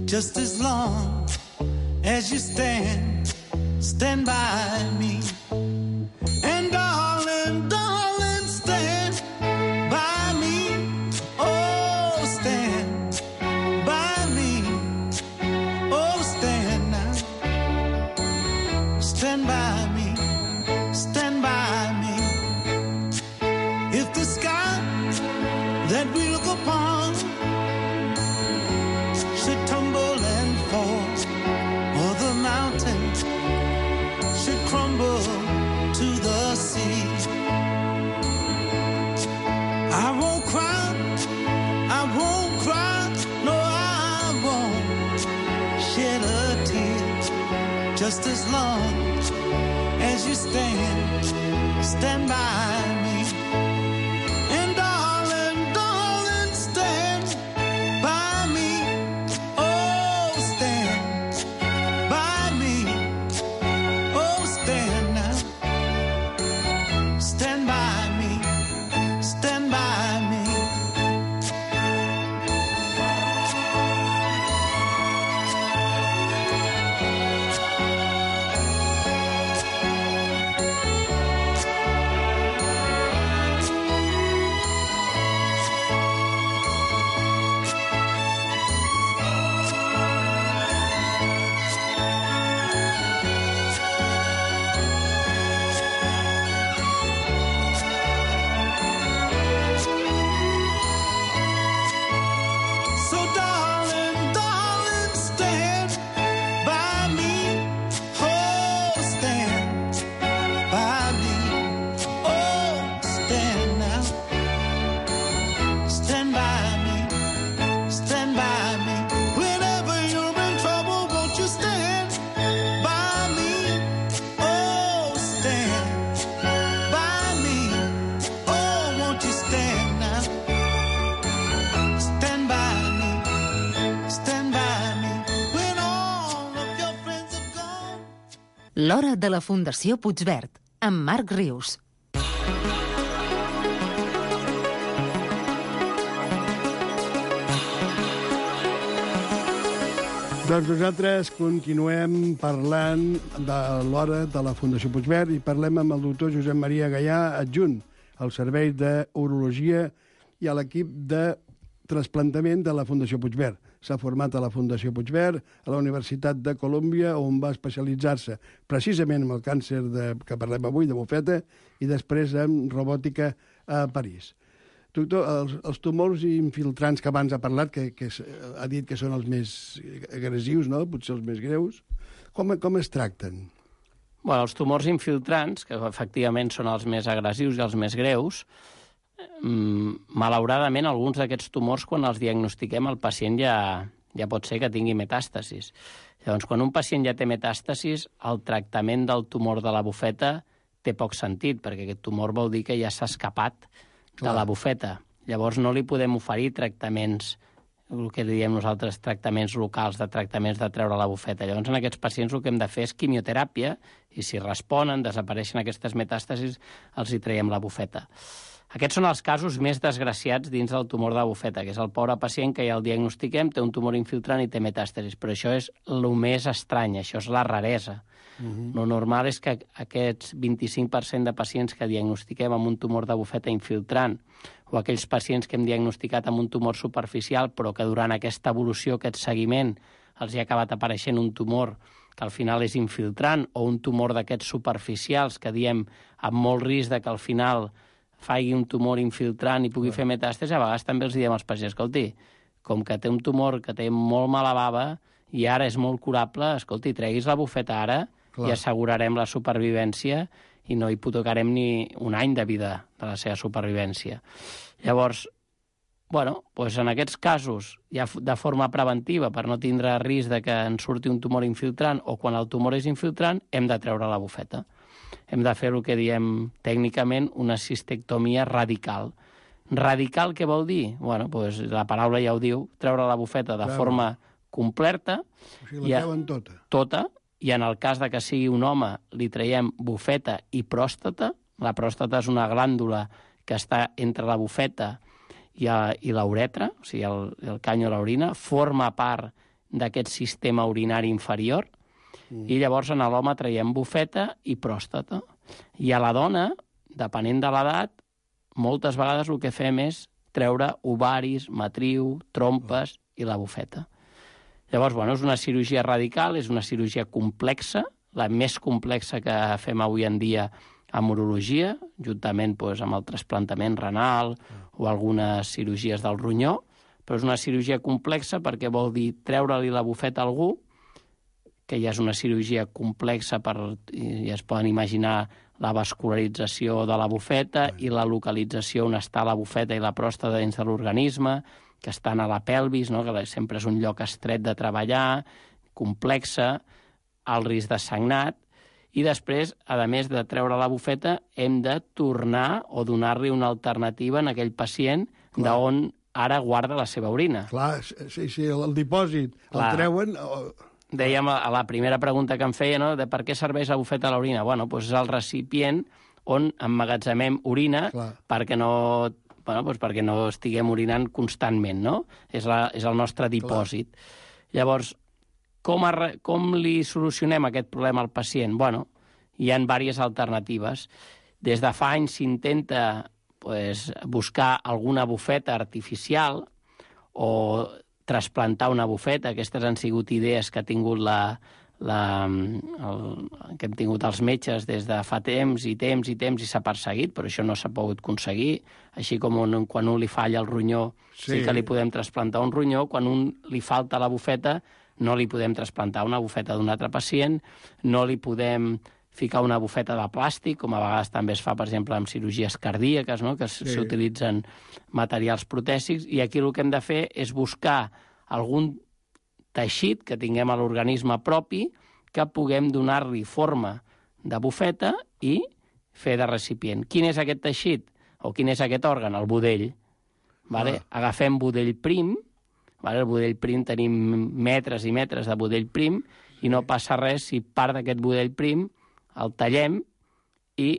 Just as long as you stand by me. And darling, darling, stand by me. Oh, stand by me. Oh, stand now. Stand by me. Stand by me. If the sky that we look upon should tumble and fall, or the mountains should crumble to the sea, I won't cry, no, I won't shed a tear, just as long as you stand by me. And darling, darling, stand by me. Oh, stand by me. Oh, stand now. Stand by me. Stand by me. So darling, darling, stand by me. Oh, stand by me. Oh, stand now. Stand by me. Stand by me. Whenever you're in trouble, won't you stand by me? Oh, stand by me. Oh, won't you stand now? Stand by me. Stand by me. When all of your friends have gone. L'hora de la Fundació Puigverd, amb Marc Rius. Doncs nosaltres continuem parlant de l'hora de la Fundació Puigverd i parlem amb el doctor Josep Maria Gaià, adjunt al Servei d'Urologia i a l'equip de trasplantament de la Fundació Puigverd. S'ha format a la Fundació Puigverd, a la Universitat de Colòmbia, on va especialitzar-se precisament en el càncer que parlem avui, de bufeta, i després en robòtica a París. Doctor, els tumors infiltrants que abans ha parlat, que ha dit que són els més agressius, no? Potser els més greus, com es tracten? Bueno, els tumors infiltrants, que efectivament són els més agressius i els més greus, malauradament alguns d'aquests tumors, quan els diagnostiquem, el pacient ja pot ser que tingui metàstasis. Llavors, quan un pacient ja té metàstasis, el tractament del tumor de la bufeta té poc sentit, perquè aquest tumor vol dir que ja s'ha escapat de la bufeta. Llavors no li podem oferir tractaments, el que diem nosaltres, tractaments locals, de tractaments de treure la bufeta. Llavors en aquests pacients el que hem de fer és quimioteràpia i si responen, desapareixen aquestes metàstasis, els hi traiem la bufeta. Aquests són els casos més desgraciats dins del tumor de la bufeta, que és el pobre pacient que ja el diagnostiquem, té un tumor infiltrant i té metàstasis. Però això és el més estrany, això és la raresa. Lo normal és que aquests 25% de pacients que diagnostiquem amb un tumor de bufeta infiltrant o aquells pacients que hem diagnosticat amb un tumor superficial però que durant aquesta evolució, aquest seguiment, els hi ha acabat apareixent un tumor que al final és infiltrant o un tumor d'aquests superficials que diem amb molt risc de que al final faci un tumor infiltrant i pugui fer metàstasi, a vegades també els diem als pacients, escolti, com que té un tumor que té molt mala bava i ara és molt curable, escolti, treguis la bufeta ara i assegurarem la supervivència i no hipotecarem ni un any de vida de la seva supervivència. Llavors, doncs en aquests casos, ja de forma preventiva, per no tindre risc de que ens surti un tumor infiltrant o quan el tumor és infiltrant, hem de treure la bufeta. Hem de fer el que diem tècnicament una cistectomia radical. Radical què vol dir? Doncs la paraula ja ho diu, treure la bufeta de forma completa. O sigui, la treuen tota. Tota, i en el cas de que sigui un home li traiem bufeta i pròstata. La pròstata és una glàndula que està entre la bufeta i la uretra, o sigui, el cany o l'orina, forma part d'aquest sistema urinari inferior, i llavors en l'home traiem bufeta i pròstata. I a la dona, depenent de l'edat, moltes vegades el que fem és treure ovaris, matriu, trompes i la bufeta. Llavors, és una cirurgia radical, és una cirurgia complexa, la més complexa que fem avui en dia en urologia, juntament amb el trasplantament renal o algunes cirurgies del ronyó, però és una cirurgia complexa perquè vol dir treure-li la bufeta a algú, que ja és una cirurgia complexa, ja es poden imaginar la vascularització de la bufeta i la localització on està la bufeta i la pròstata dins de l'organisme, que estan a la pelvis, no? Que sempre és un lloc estret de treballar, complexa, el risc de sagnat, i després, a més de treure la bufeta, hem de tornar o donar-li una alternativa en aquell pacient d'on ara guarda la seva orina. Clar, sí, el dipòsit el treuen... Dèiem a la primera pregunta que em feia, no?, de per què serveix la bufeta a l'orina. És el recipient on emmagatzemem orina perquè no estiguem orinant constantment, no? És el nostre dipòsit. Llavors, com li solucionem aquest problema al pacient? Hi ha diverses alternatives. Des de fa anys s'intenta buscar alguna bufeta artificial o trasplantar una bufeta. Aquestes han sigut idees que ha tingut que hem tingut els metges des de fa temps i s'ha perseguit, però això no s'ha pogut aconseguir. Així com quan un li falla el ronyó, sí que li podem trasplantar un ronyó, quan un li falta la bufeta, no li podem trasplantar una bufeta d'un altre pacient, no li podem ficar una bufeta de plàstic, com a vegades també es fa, per exemple, amb cirurgies cardíaques, no?, que s'utilitzen materials protèsics, i aquí el que hem de fer és buscar algun teixit que tinguem a l'organisme propi que puguem donar-li forma de bufeta i fer de recipient. Quin és aquest teixit o quin és aquest òrgan? El budell. Agafem budell prim, el budell prim tenim metres i metres de budell prim i no passa res si part d'aquest budell prim el tallem i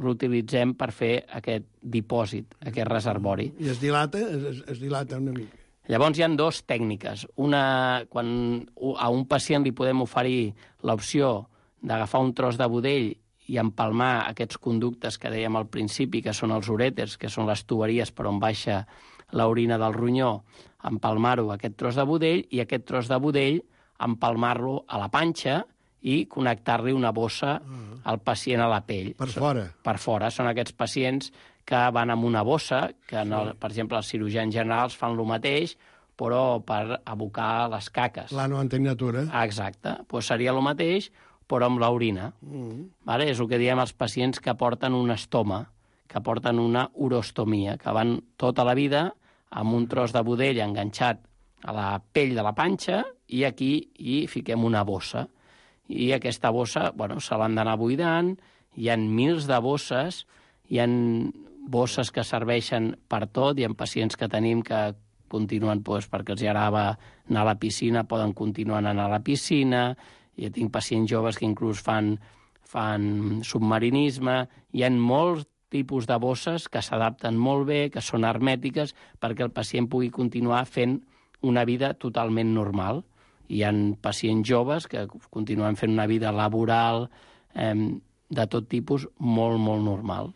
l'utilitzem per fer aquest dipòsit, aquest reservori. I es dilata una mica. Llavors hi ha dues tècniques. Una, quan a un pacient li podem oferir l'opció d'agafar un tros de budell i empalmar aquests conductes que dèiem al principi, que són els urèters, que són les tuberies per on baixa l'orina del ronyó, empalmar-ho a aquest tros de budell i aquest tros de budell empalmar-lo a la panxa i connectar-li una bossa al pacient a la pell. Per fora? Per fora. Són aquests pacients que van amb una bossa, que, per exemple, els cirurgians generals fan el mateix, però per abocar les caques. La no antenatura. Exacte. Seria el mateix, però amb l'orina. És el que diem als pacients que porten un estoma, que porten una urostomia, que van tota la vida amb un tros de budell enganxat a la pell de la panxa i aquí hi fiquem una bossa. I aquesta bossa, se l'han d'anar buidant, hi ha mils de bosses, hi ha bosses que serveixen per tot, hi ha pacients que tenim que continuen, perquè els agrada anar a la piscina, poden continuar anant a la piscina, i tinc pacients joves que inclús fan submarinisme, hi ha molts tipus de bosses que s'adapten molt bé, que són hermètiques, perquè el pacient pugui continuar fent una vida totalment normal. Hi ha pacients joves que continuen fent una vida laboral de tot tipus molt, molt normal.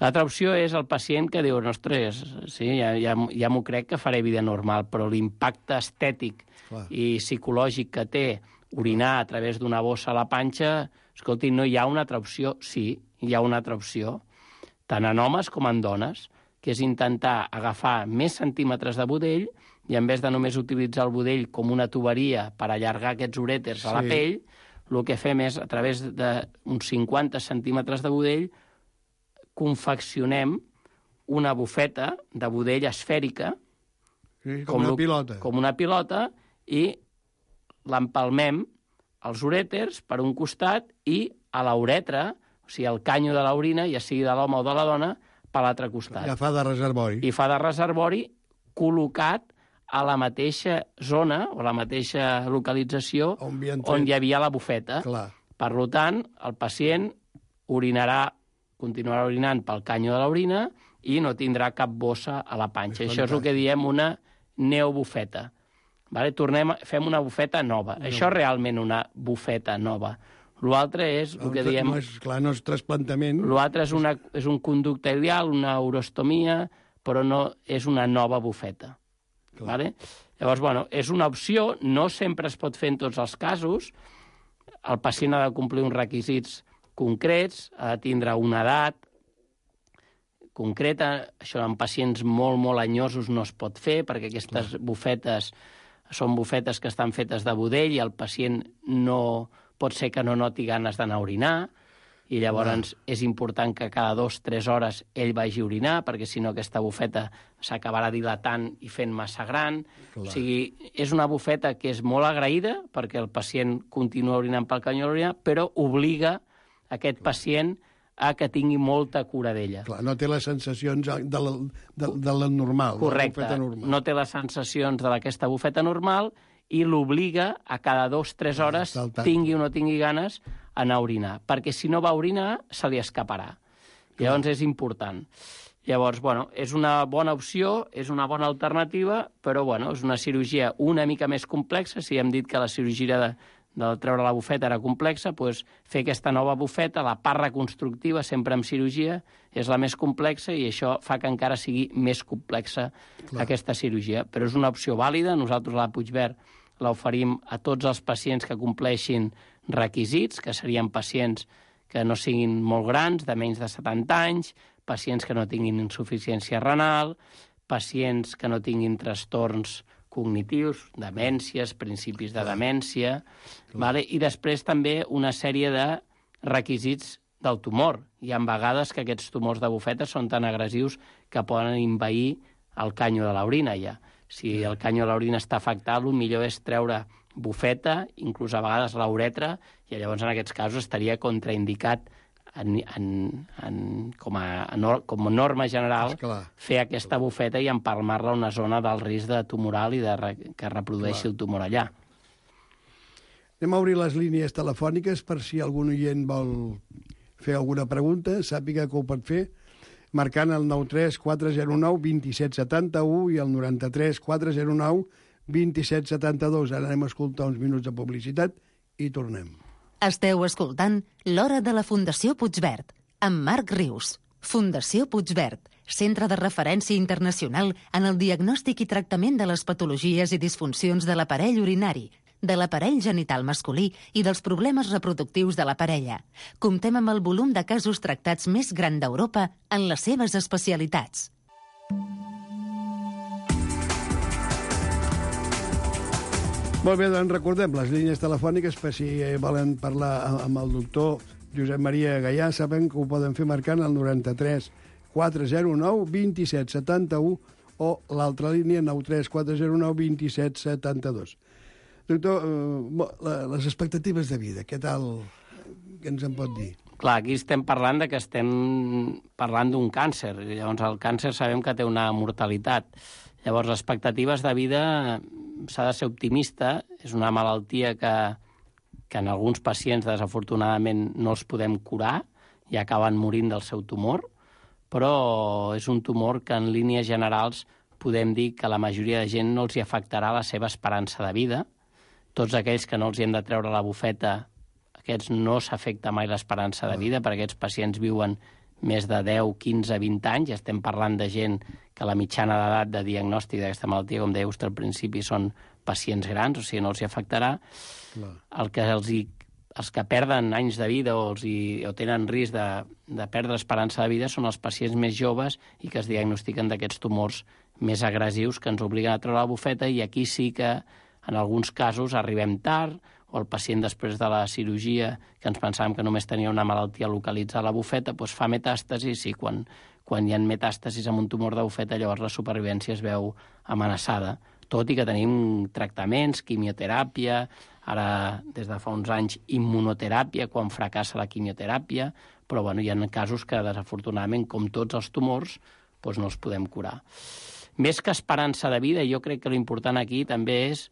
L'altra opció és el pacient que diu, ostres, sí, ja m'ho crec que faré vida normal, però l'impacte estètic i psicològic que té orinar a través d'una bossa a la panxa, escolti, no hi ha una altra opció? Sí, hi ha una altra opció, tant en homes com en dones, que és intentar agafar més centímetres de budell i en vez de només utilitzar el budell com una tuberia per allargar aquests urèters a la pell, el que fem és, a través d'uns 50 centímetres de budell, confeccionem una bufeta de budell esfèrica, com una pilota, i l'empalmem els urèters per un costat i a la uretra, o sigui, el canyo de l'orina, ja sigui de l'home o de la dona, per l'altre costat. Ja fa de reservori. I fa de reservori col·locat a la mateixa zona o la mateixa localització on hi havia la bufeta. Per tant, el pacient continuarà orinant pel canyo de l'orina i no tindrà cap bossa a la panxa. Això és el que diem una neobufeta. Fem una bufeta nova. Això és realment una bufeta nova. L'altre és el que diem... No és trasplantament. L'altre és un conducte ileal, una urostomia, però no és una nova bufeta. Llavors, és una opció, no sempre es pot fer en tots els casos. El pacient ha de complir uns requisits concrets, ha de tindre una edat concreta. Això en pacients molt, molt anyosos no es pot fer, perquè aquestes bufetes són bufetes que estan fetes de budell i el pacient no pot ser que no noti ganes d'anar a orinar, i llavors és important que cada 2-3 hores ell vagi a orinar, perquè si no aquesta bufeta s'acabarà dilatant i fent massa gran. O sigui, és una bufeta que és molt agraïda perquè el pacient continua orinant pel canyó de l'orina, però obliga aquest pacient a que tingui molta cura d'ella. No té les sensacions de la normal. Correcte, no té les sensacions d'aquesta bufeta normal i l'obliga a cada 2-3 hores, tingui o no tingui ganes, a anar a orinar, perquè si no va a orinar se li escaparà. Llavors és important. Llavors, és una bona opció, és una bona alternativa, però és una cirurgia una mica més complexa. Si hem dit que la cirurgia de treure la bufeta era complexa, doncs fer aquesta nova bufeta, la part reconstructiva, sempre amb cirurgia, és la més complexa i això fa que encara sigui més complexa aquesta cirurgia. Però és una opció vàlida. Nosaltres a la Puigverd l'oferim a tots els pacients que compleixin requisits, que serien pacients que no siguin molt grans, de menys de 70 anys, pacients que no tinguin insuficiència renal, pacients que no tinguin trastorns cognitius, demències, principis de demència, i després també una sèrie de requisits del tumor. Hi ha vegades que aquests tumors de bufeta són tan agressius que poden envair el canyo de l'orina ja. Si el canyo de l'orina està afectat, el millor és treure bufeta, inclús a vegades la uretra, i llavors en aquests casos estaria contraindicat com a norma general fer aquesta bufeta i empalmar-la a una zona del risc de tumoral i que reprodueixi el tumor allà. Anem a obrir les línies telefòniques per si algun oient vol fer alguna pregunta, sàpiga que ho pot fer, marcant el 93 409 2771 i el 93 409 2772. Ara anem a escoltar uns minuts de publicitat i tornem. Esteu escoltant l'Hora de la Fundació Puigverd, amb Marc Rius. Fundació Puigverd, centre de referència internacional en el diagnòstic i tractament de les patologies i disfuncions de l'aparell urinari, de l'aparell genital masculí i dels problemes reproductius de la parella. Comptem amb el volum de casos tractats més gran d'Europa en les seves especialitats. Molt bé, doncs recordem les línies telefòniques per si volen parlar amb el doctor Josep Maria Gaià. Saben que ho poden fer marcant el 93 409 2771 o l'altra línia 93 409 2772. Doctor, les expectatives de vida, què tal? Què ens en pot dir? Clar, aquí estem parlant d'un càncer. Llavors, el càncer sabem que té una mortalitat. Llavors, les expectatives de vida s'ha de ser optimista. És una malaltia que en alguns pacients, desafortunadament, no els podem curar i acaben morint del seu tumor, però és un tumor que en línies generals podem dir que la majoria de gent no els hi afectarà la seva esperança de vida. Tots aquells que no els hi hem de treure la bufeta, aquests no s'afecta mai l'esperança de vida, perquè aquests pacients viuen més de 10, 15, 20 anys, i estem parlant de gent que la mitjana d'edat de diagnòstic d'aquesta malaltia, com deia vostè al principi, són pacients grans, o sigui, no els hi afectarà. Els que perden anys de vida o tenen risc de perdre esperança de vida són els pacients més joves i que es diagnostiquen d'aquests tumors més agressius que ens obliguen a treure la bufeta, i aquí sí que en alguns casos arribem tard, o el pacient després de la cirurgia, que ens pensàvem que només tenia una malaltia localitzada a la bufeta, doncs fa metàstasis, i quan hi ha metàstasis amb un tumor de bufeta, llavors la supervivència es veu amenaçada. Tot i que tenim tractaments, quimioteràpia, ara des de fa uns anys immunoteràpia, quan fracassa la quimioteràpia, però bueno, hi ha casos que desafortunadament, com tots els tumors, doncs no els podem curar. Més que esperança de vida, jo crec que l'important aquí també és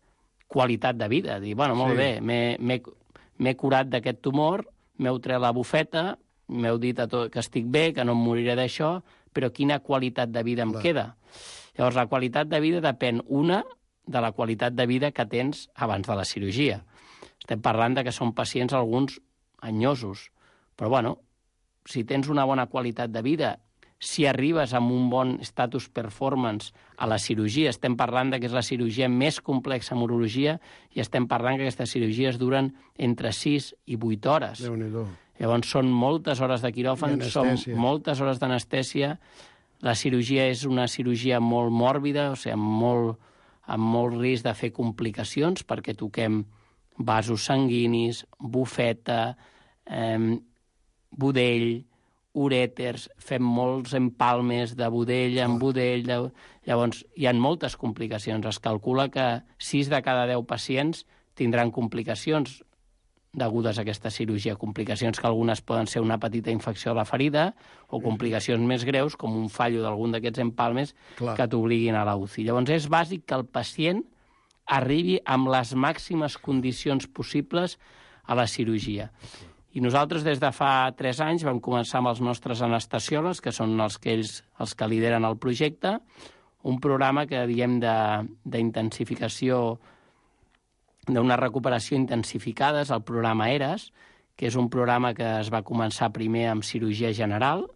qualitat de vida. Dir, bueno, molt bé, m'he curat d'aquest tumor, m'heu tret la bufeta, m'heu dit que estic bé, que no em moriré d'això, però quina qualitat de vida em queda? Llavors, la qualitat de vida depèn, una, de la qualitat de vida que tens abans de la cirurgia. Estem parlant de que són pacients, alguns, anyosos. Però, bueno, si tens una bona qualitat de vida, si arribes amb un bon status performance a la cirurgia, estem parlant que és la cirurgia més complexa en urologia, i estem parlant que aquestes cirurgies duren entre 6 i 8 hores. Déu-n'hi-do. Llavors són moltes hores de quiròfan, són moltes hores d'anestèsia. La cirurgia és una cirurgia molt mòrbida, o sigui, amb molt risc de fer complicacions, perquè toquem vasos sanguinis, bufeta, budell, urèters, fem molts empalmes de budell en budell. Llavors, hi ha moltes complicacions. Es calcula que 6 de cada 10 pacients tindran complicacions degudes a aquesta cirurgia. Complicacions que algunes poden ser una petita infecció a la ferida o complicacions més greus, com un fallo d'algun d'aquests empalmes que t'obliguin a la UCI. Llavors, és bàsic que el pacient arribi amb les màximes condicions possibles a la cirurgia. I nosaltres, des de fa 3 anys, vam començar amb els nostres anestesiòlegs, que són els que lideren el projecte, un programa que diem d'intensificació, d'una recuperació intensificada, és el programa ERAS, que és un programa que es va començar primer amb cirurgia general,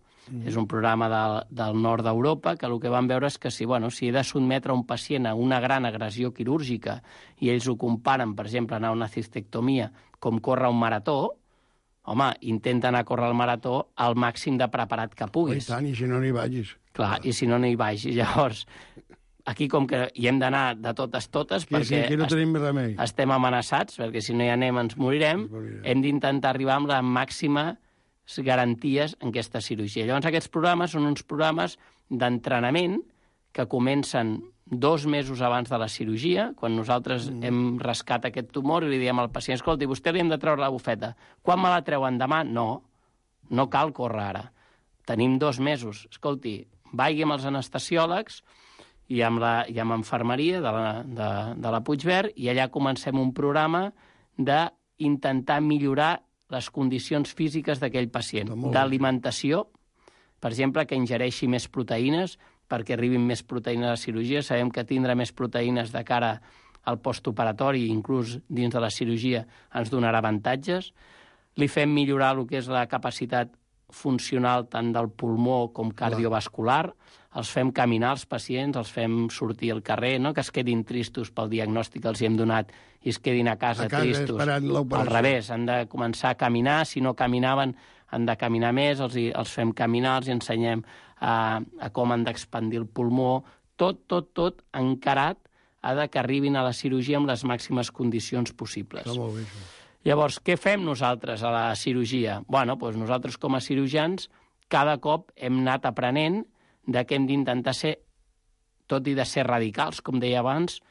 és un programa del nord d'Europa, que el que vam veure és que si he de sotmetre un pacient a una gran agressió quirúrgica i ells ho comparen, per exemple, anar a una cistectomia com córrer un marató, home, intenta anar a córrer el marató al màxim de preparat que puguis. I tant, i si no n'hi vagis. Clar, i si no n'hi vagis. Llavors, aquí com que hi hem d'anar de totes, perquè aquí no tenim remei. Estem amenaçats, perquè si no hi anem ens morirem, hem d'intentar arribar amb les màximes garanties en aquesta cirurgia. Llavors, aquests programes són uns programes d'entrenament que comencen 2 mesos abans de la cirurgia, quan nosaltres hem rascat aquest tumor i li diem al pacient, escolti, vostè li hem de treure la bufeta. Quan me la treuen demà? No cal córrer ara. Tenim 2 mesos. Escolti, vagi amb els anestesiòlegs i amb infermeria de la Puigverd, i allà comencem un programa d'intentar millorar les condicions físiques d'aquell pacient. D'alimentació, per exemple, que ingereixi més proteïnes, perquè arribin més proteïnes a la cirurgia. Sabem que tindre més proteïnes de cara al postoperatori, inclús dins de la cirurgia, ens donarà avantatges. Li fem millorar el que és la capacitat funcional tant del pulmó com cardiovascular. Els fem caminar els pacients, els fem sortir al carrer, no que es quedin tristos pel diagnòstic que els hi hem donat i es quedin a casa tristos. Al revés, han de començar a caminar. Si no caminaven, han de caminar més, els fem caminar, els ensenyem a com han d'expandir el pulmó. Tot encarat que arribin a la cirurgia amb les màximes condicions possibles. Està molt bé, això. Llavors, què fem nosaltres a la cirurgia? Doncs nosaltres, com a cirurgians, cada cop hem anat aprenent que hem d'intentar ser, tot i de ser radicals, com deia abans,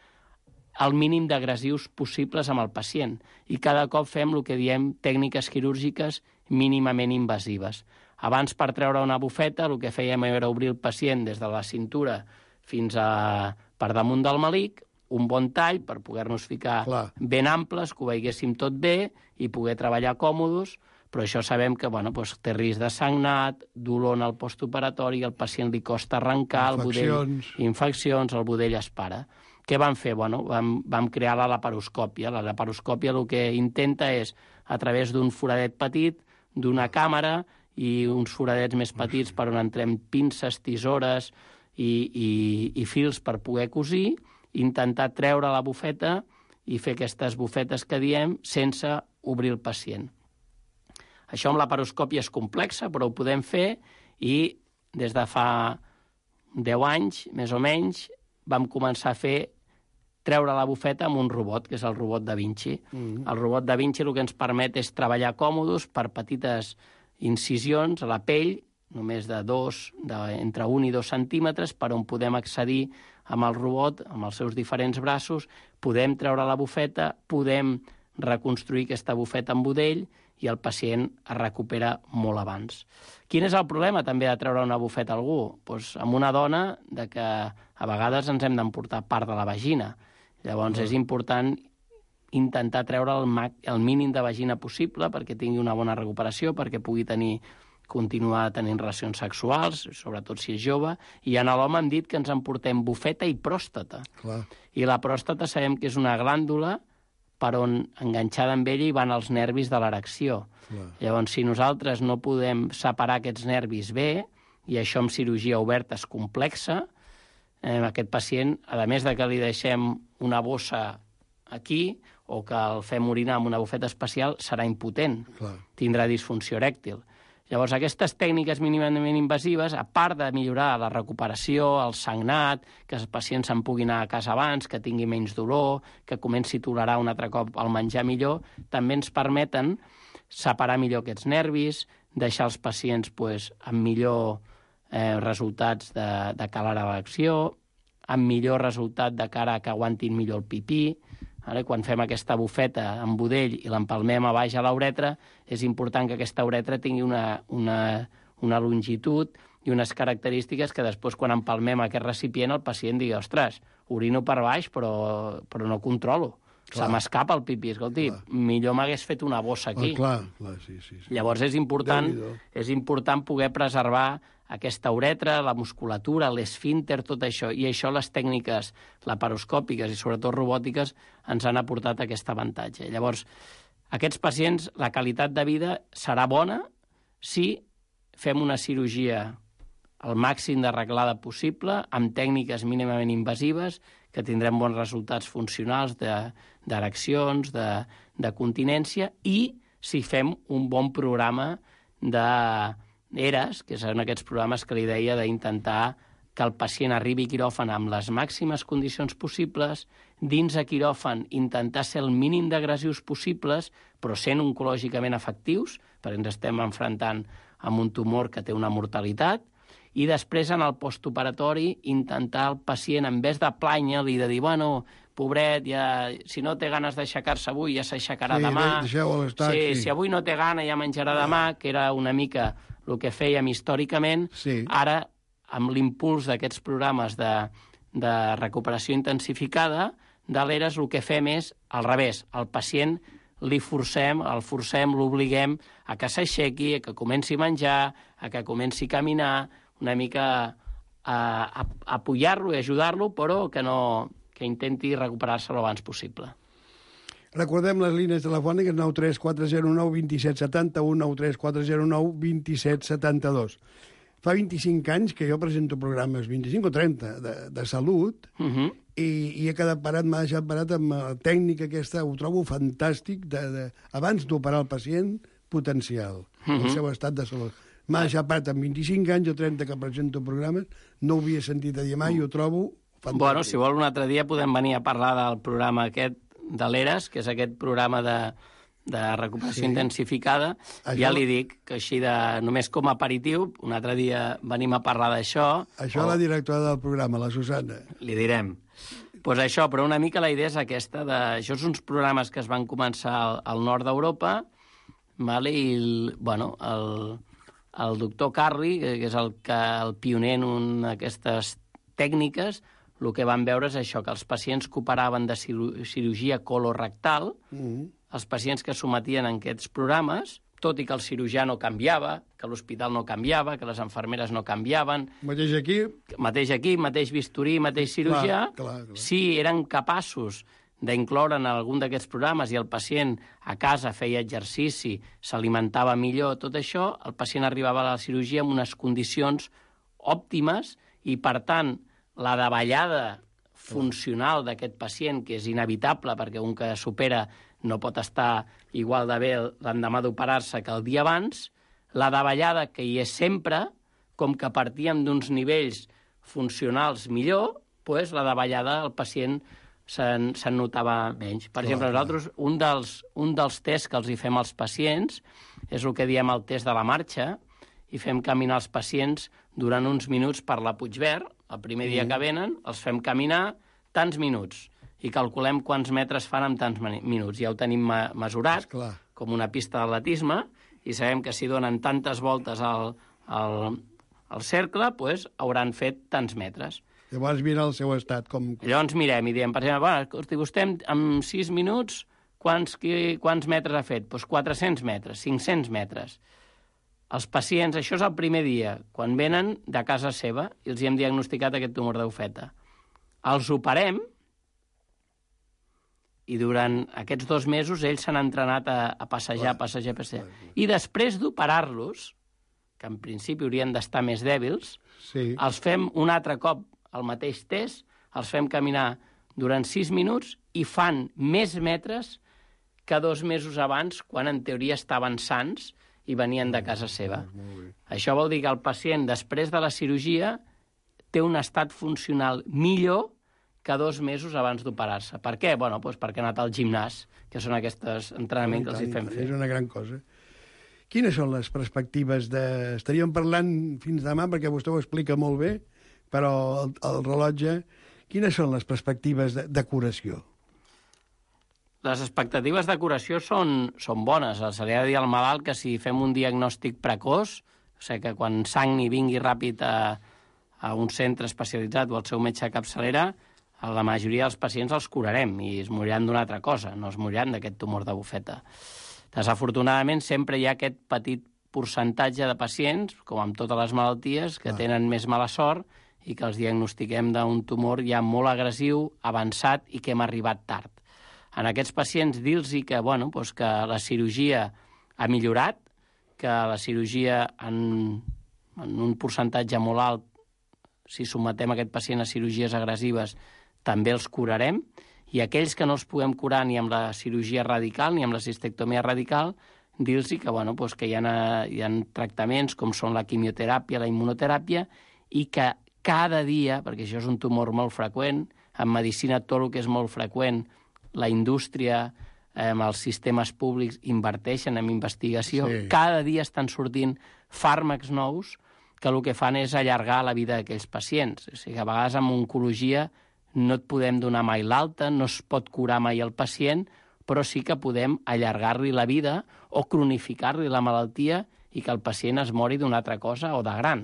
el mínim d'agressius possibles amb el pacient. I cada cop fem el que diem tècniques quirúrgiques mínimament invasives. Abans, per treure una bufeta, el que fèiem era obrir el pacient des de la cintura fins per damunt del melic, un bon tall per poder-nos ficar ben amples, que ho veiéssim tot bé i poder treballar còmodes, però això sabem que té risc de sagnat, dolor en el postoperatori, al pacient li costa arrencar, infeccions, el budell es para. Què vam fer? Vam crear la laparoscòpia. La laparoscòpia el que intenta és, a través d'un foradet petit, d'una càmera i uns foradets més petits per on entrem pinces, tisores i fils per poder cosir, intentar treure la bufeta i fer aquestes bufetes que diem sense obrir el pacient. Això amb laparoscòpia és complexa, però ho podem fer i des de fa 10 anys, més o menys, vam començar a treure la bufeta amb un robot, que és el robot Da Vinci. El robot Da Vinci el que ens permet és treballar còmodes per petites incisions a la pell, només entre 1 i 2 centímetres, per on podem accedir amb el robot, amb els seus diferents braços, podem treure la bufeta, podem reconstruir aquesta bufeta en budell i el pacient es recupera molt abans. Quin és el problema també de treure una bufeta a algú? Doncs amb una dona que a vegades ens hem d'emportar part de la vagina. Llavors és important intentar treure el mínim de vagina possible perquè tingui una bona recuperació, perquè pugui continuar tenint relacions sexuals, sobretot si és jove, i en l'home hem dit que ens emportem bufeta i pròstata. I la pròstata sabem que és una glàndula per on, enganxada amb ella, hi van els nervis de l'erecció. Llavors, si nosaltres no podem separar aquests nervis bé, i això amb cirurgia oberta és complexa, aquest pacient, a més de que li deixem una bossa aquí o que el fem orinar amb una bufeta especial, serà impotent, tindrà disfunció erèctil. Llavors, aquestes tècniques mínimament invasives, a part de millorar la recuperació, el sagnat, que els pacients se'n puguin anar a casa abans, que tingui menys dolor, que comenci a tolerar un altre cop el menjar millor, també ens permeten separar millor aquests nervis, deixar els pacients amb millor resultats de cara a l'erecció, amb millor resultat de cara a que aguantin millor el pipí. Quan fem aquesta bufeta en budell i l'empalmem a baix a l'uretra, és important que aquesta uretra tingui una longitud i unes característiques que després, quan empalmem aquest recipient, el pacient digui, ostres, orino per baix, però no controlo. Se m'escapa el pipí. Escolti, millor m'hagués fet una bossa aquí. Sí. Llavors és important poder preservar aquesta uretra, la musculatura, l'esfínter, tot això. I això les tècniques laparoscòpiques i sobretot robòtiques ens han aportat aquest avantatge. Llavors, aquests pacients, la qualitat de vida serà bona si fem una cirurgia al màxim d'arreglada possible, amb tècniques mínimament invasives, que tindrem bons resultats funcionals d'ereccions, de continència, i si fem un bon programa d'ERAS, que són aquests programes que li deia d'intentar que el pacient arribi a quiròfan amb les màximes condicions possibles, dins de quiròfan intentar ser el mínim d'agressius possibles, però sent oncològicament efectius, perquè ens estem enfrontant amb un tumor que té una mortalitat, i després en el postoperatori intentar el pacient, en vez de plànyer-li, de dir, bueno, pobret, si no té ganes d'aixecar-se avui ja s'aixecarà demà. Si avui no té gana ja menjarà demà, que era una mica el que fèiem històricament. Ara, amb l'impuls d'aquests programes de recuperació intensificada, de l'ERAS el que fem és al revés. El pacient el forcem, l'obliguem a que s'aixequi, a que comenci a menjar, a que comenci a caminar, una mica a apoyar-lo i ajudar-lo, però que intenti recuperar-se l'abans possible. Recordem les línies telefòniques 93409 2771, 93409 2772. Fa 25 anys que jo presento programes, 25 o 30, de salut, i he quedat parat, m'ha deixat parat amb la tècnica aquesta, ho trobo fantàstic, abans d'operar el pacient, potencial, el seu estat de salut. M'ha deixat parat amb 25 anys o 30 que presento programes, no ho havia sentit a dir mai, ho trobo fantàstic. Bueno, si vol un altre dia podem venir a parlar del programa aquest de l'ERAS, que és aquest programa de recuperació intensificada. Ja li dic que així només com a aperitiu, un altre dia venim a parlar d'això. Això la directora del programa, la Susana. Li direm. Doncs això, però una mica la idea és aquesta. Això són uns programes que es van començar al nord d'Europa, i el doctor Carli, que és el pioner en aquestes tècniques, el que van veure és això, que els pacients que operaven de cirurgia colorectal, els pacients que sometien en aquests programes, tot i que el cirurgià no canviava, que l'hospital no canviava, que les infermeres no canviaven. Mateix aquí, mateix bisturí, mateix cirurgià. Clar. Si eren capaços d'incloure en algun d'aquests programes i el pacient a casa feia exercici, s'alimentava millor, tot això, el pacient arribava a la cirurgia amb unes condicions òptimes i, per tant, la davallada funcional d'aquest pacient, que és inevitable perquè un que supera no pot estar igual de bé l'endemà d'operar-se que el dia abans, la davallada que hi és sempre, com que partíem d'uns nivells funcionals millor, doncs la davallada al pacient se'n notava menys. Per exemple, nosaltres, un dels tests que els hi fem als pacients és el que diem el test de la marxa, i fem caminar els pacients durant uns minuts per la Puigverd. El primer dia que venen els fem caminar tants minuts i calculem quants metres fan en tants minuts. Ja ho tenim mesurat, com una pista d'atletisme, i sabem que si donen tantes voltes al cercle, doncs hauran fet tants metres. Llavors mira el seu estat. Llavors mirem i diem, per exemple, vostè en 6 minuts quants metres ha fet? Doncs 400 metres, 500 metres. Els pacients, això és el primer dia, quan venen de casa seva i els hi hem diagnosticat aquest tumor de bufeta. Els operem i durant aquests 2 mesos ells s'han entrenat a passejar. I després d'operar-los, que en principi haurien d'estar més dèbils, els fem un altre cop el mateix test, els fem caminar durant 6 minuts i fan més metres que 2 mesos abans, quan en teoria estaven sants i venien de casa seva. Això vol dir que el pacient, després de la cirurgia, té un estat funcional millor que 2 mesos abans d'operar-se. Per què? Bueno, doncs perquè ha anat al gimnàs, que són aquests entrenaments que els hi fem fer. És una gran cosa. Quines són les perspectives de... Estaríem parlant fins demà, perquè vostè ho explica molt bé, però el rellotge... Quines són les perspectives de curació? Les expectatives de curació són bones. Se li ha de dir al malalt que si fem un diagnòstic precoç, o sigui que quan sagni vingui ràpid a un centre especialitzat o al seu metge de capçalera, la majoria dels pacients els curarem i es moriran d'una altra cosa, no es moriran d'aquest tumor de bufeta. Desafortunadament, sempre hi ha aquest petit percentatge de pacients, com amb totes les malalties, que tenen més mala sort i que els diagnostiquem d'un tumor ja molt agressiu, avançat i que hem arribat tard. En aquests pacients dir-los que la cirurgia ha millorat, que la cirurgia en un percentatge molt alt, si sometem aquest pacient a cirurgies agressives, també els curarem, i aquells que no els puguem curar ni amb la cirurgia radical ni amb la cistectomia radical, dir-los que hi ha tractaments com són la quimioteràpia, la immunoteràpia, i que cada dia, perquè això és un tumor molt freqüent, en medicina tot el que és molt freqüent, la indústria, els sistemes públics inverteixen en investigació, cada dia estan sortint fàrmacs nous que el que fan és allargar la vida d'aquells pacients. O sigui, a vegades amb oncologia no et podem donar mai l'alta, no es pot curar mai el pacient, però sí que podem allargar-li la vida o cronificar-li la malaltia i que el pacient es mori d'una altra cosa o de gran.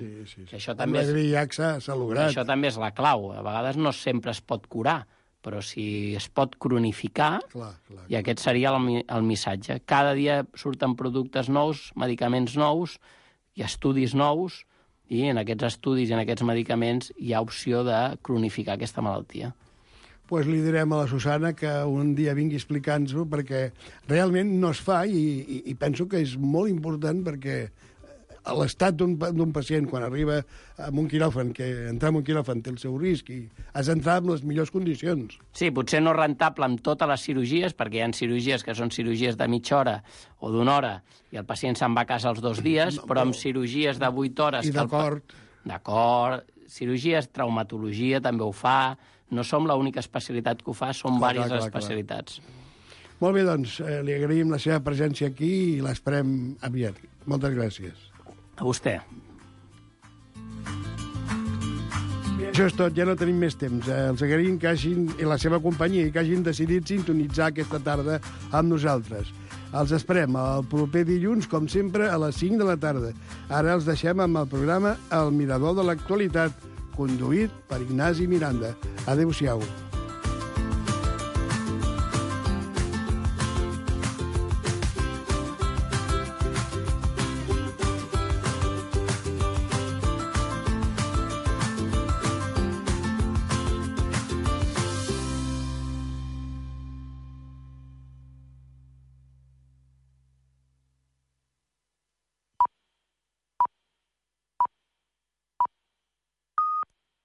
Això també Això també és la clau. A vegades no sempre es pot curar, però si es pot cronificar, i aquest seria el missatge. Cada dia surten productes nous, medicaments nous i estudis nous, i en aquests estudis i en aquests medicaments hi ha opció de cronificar aquesta malaltia. Doncs li direm a la Susana que un dia vingui explicant-nos-ho, perquè realment no es fa i penso que és molt important, perquè l'estat d'un pacient quan arriba a un quiròfan, que entrar en un quiròfan té el seu risc i has d'entrar en les millors condicions. Sí, potser no rentable amb totes les cirurgies, perquè hi ha cirurgies que són cirurgies de mitja hora o d'una hora i el pacient se'n va a casa els 2 dies, però amb cirurgies de 8 hores... I d'acord. D'acord. Cirurgies, traumatologia també ho fa. No som l'única especialitat que ho fa, són diverses especialitats. Molt bé, doncs, li agraïm la seva presència aquí i l'esperem aviat. Moltes gràcies. A vostè. Això és tot, ja no tenim més temps. Els agraïm que hagin, i la seva companyia, i que hagin decidit sintonitzar aquesta tarda amb nosaltres. Els esperem el proper dilluns, com sempre, a les 5 de la tarda. Ara els deixem amb el programa El Mirador de l'Actualitat, conduït per Ignasi Miranda. Adéu-siau.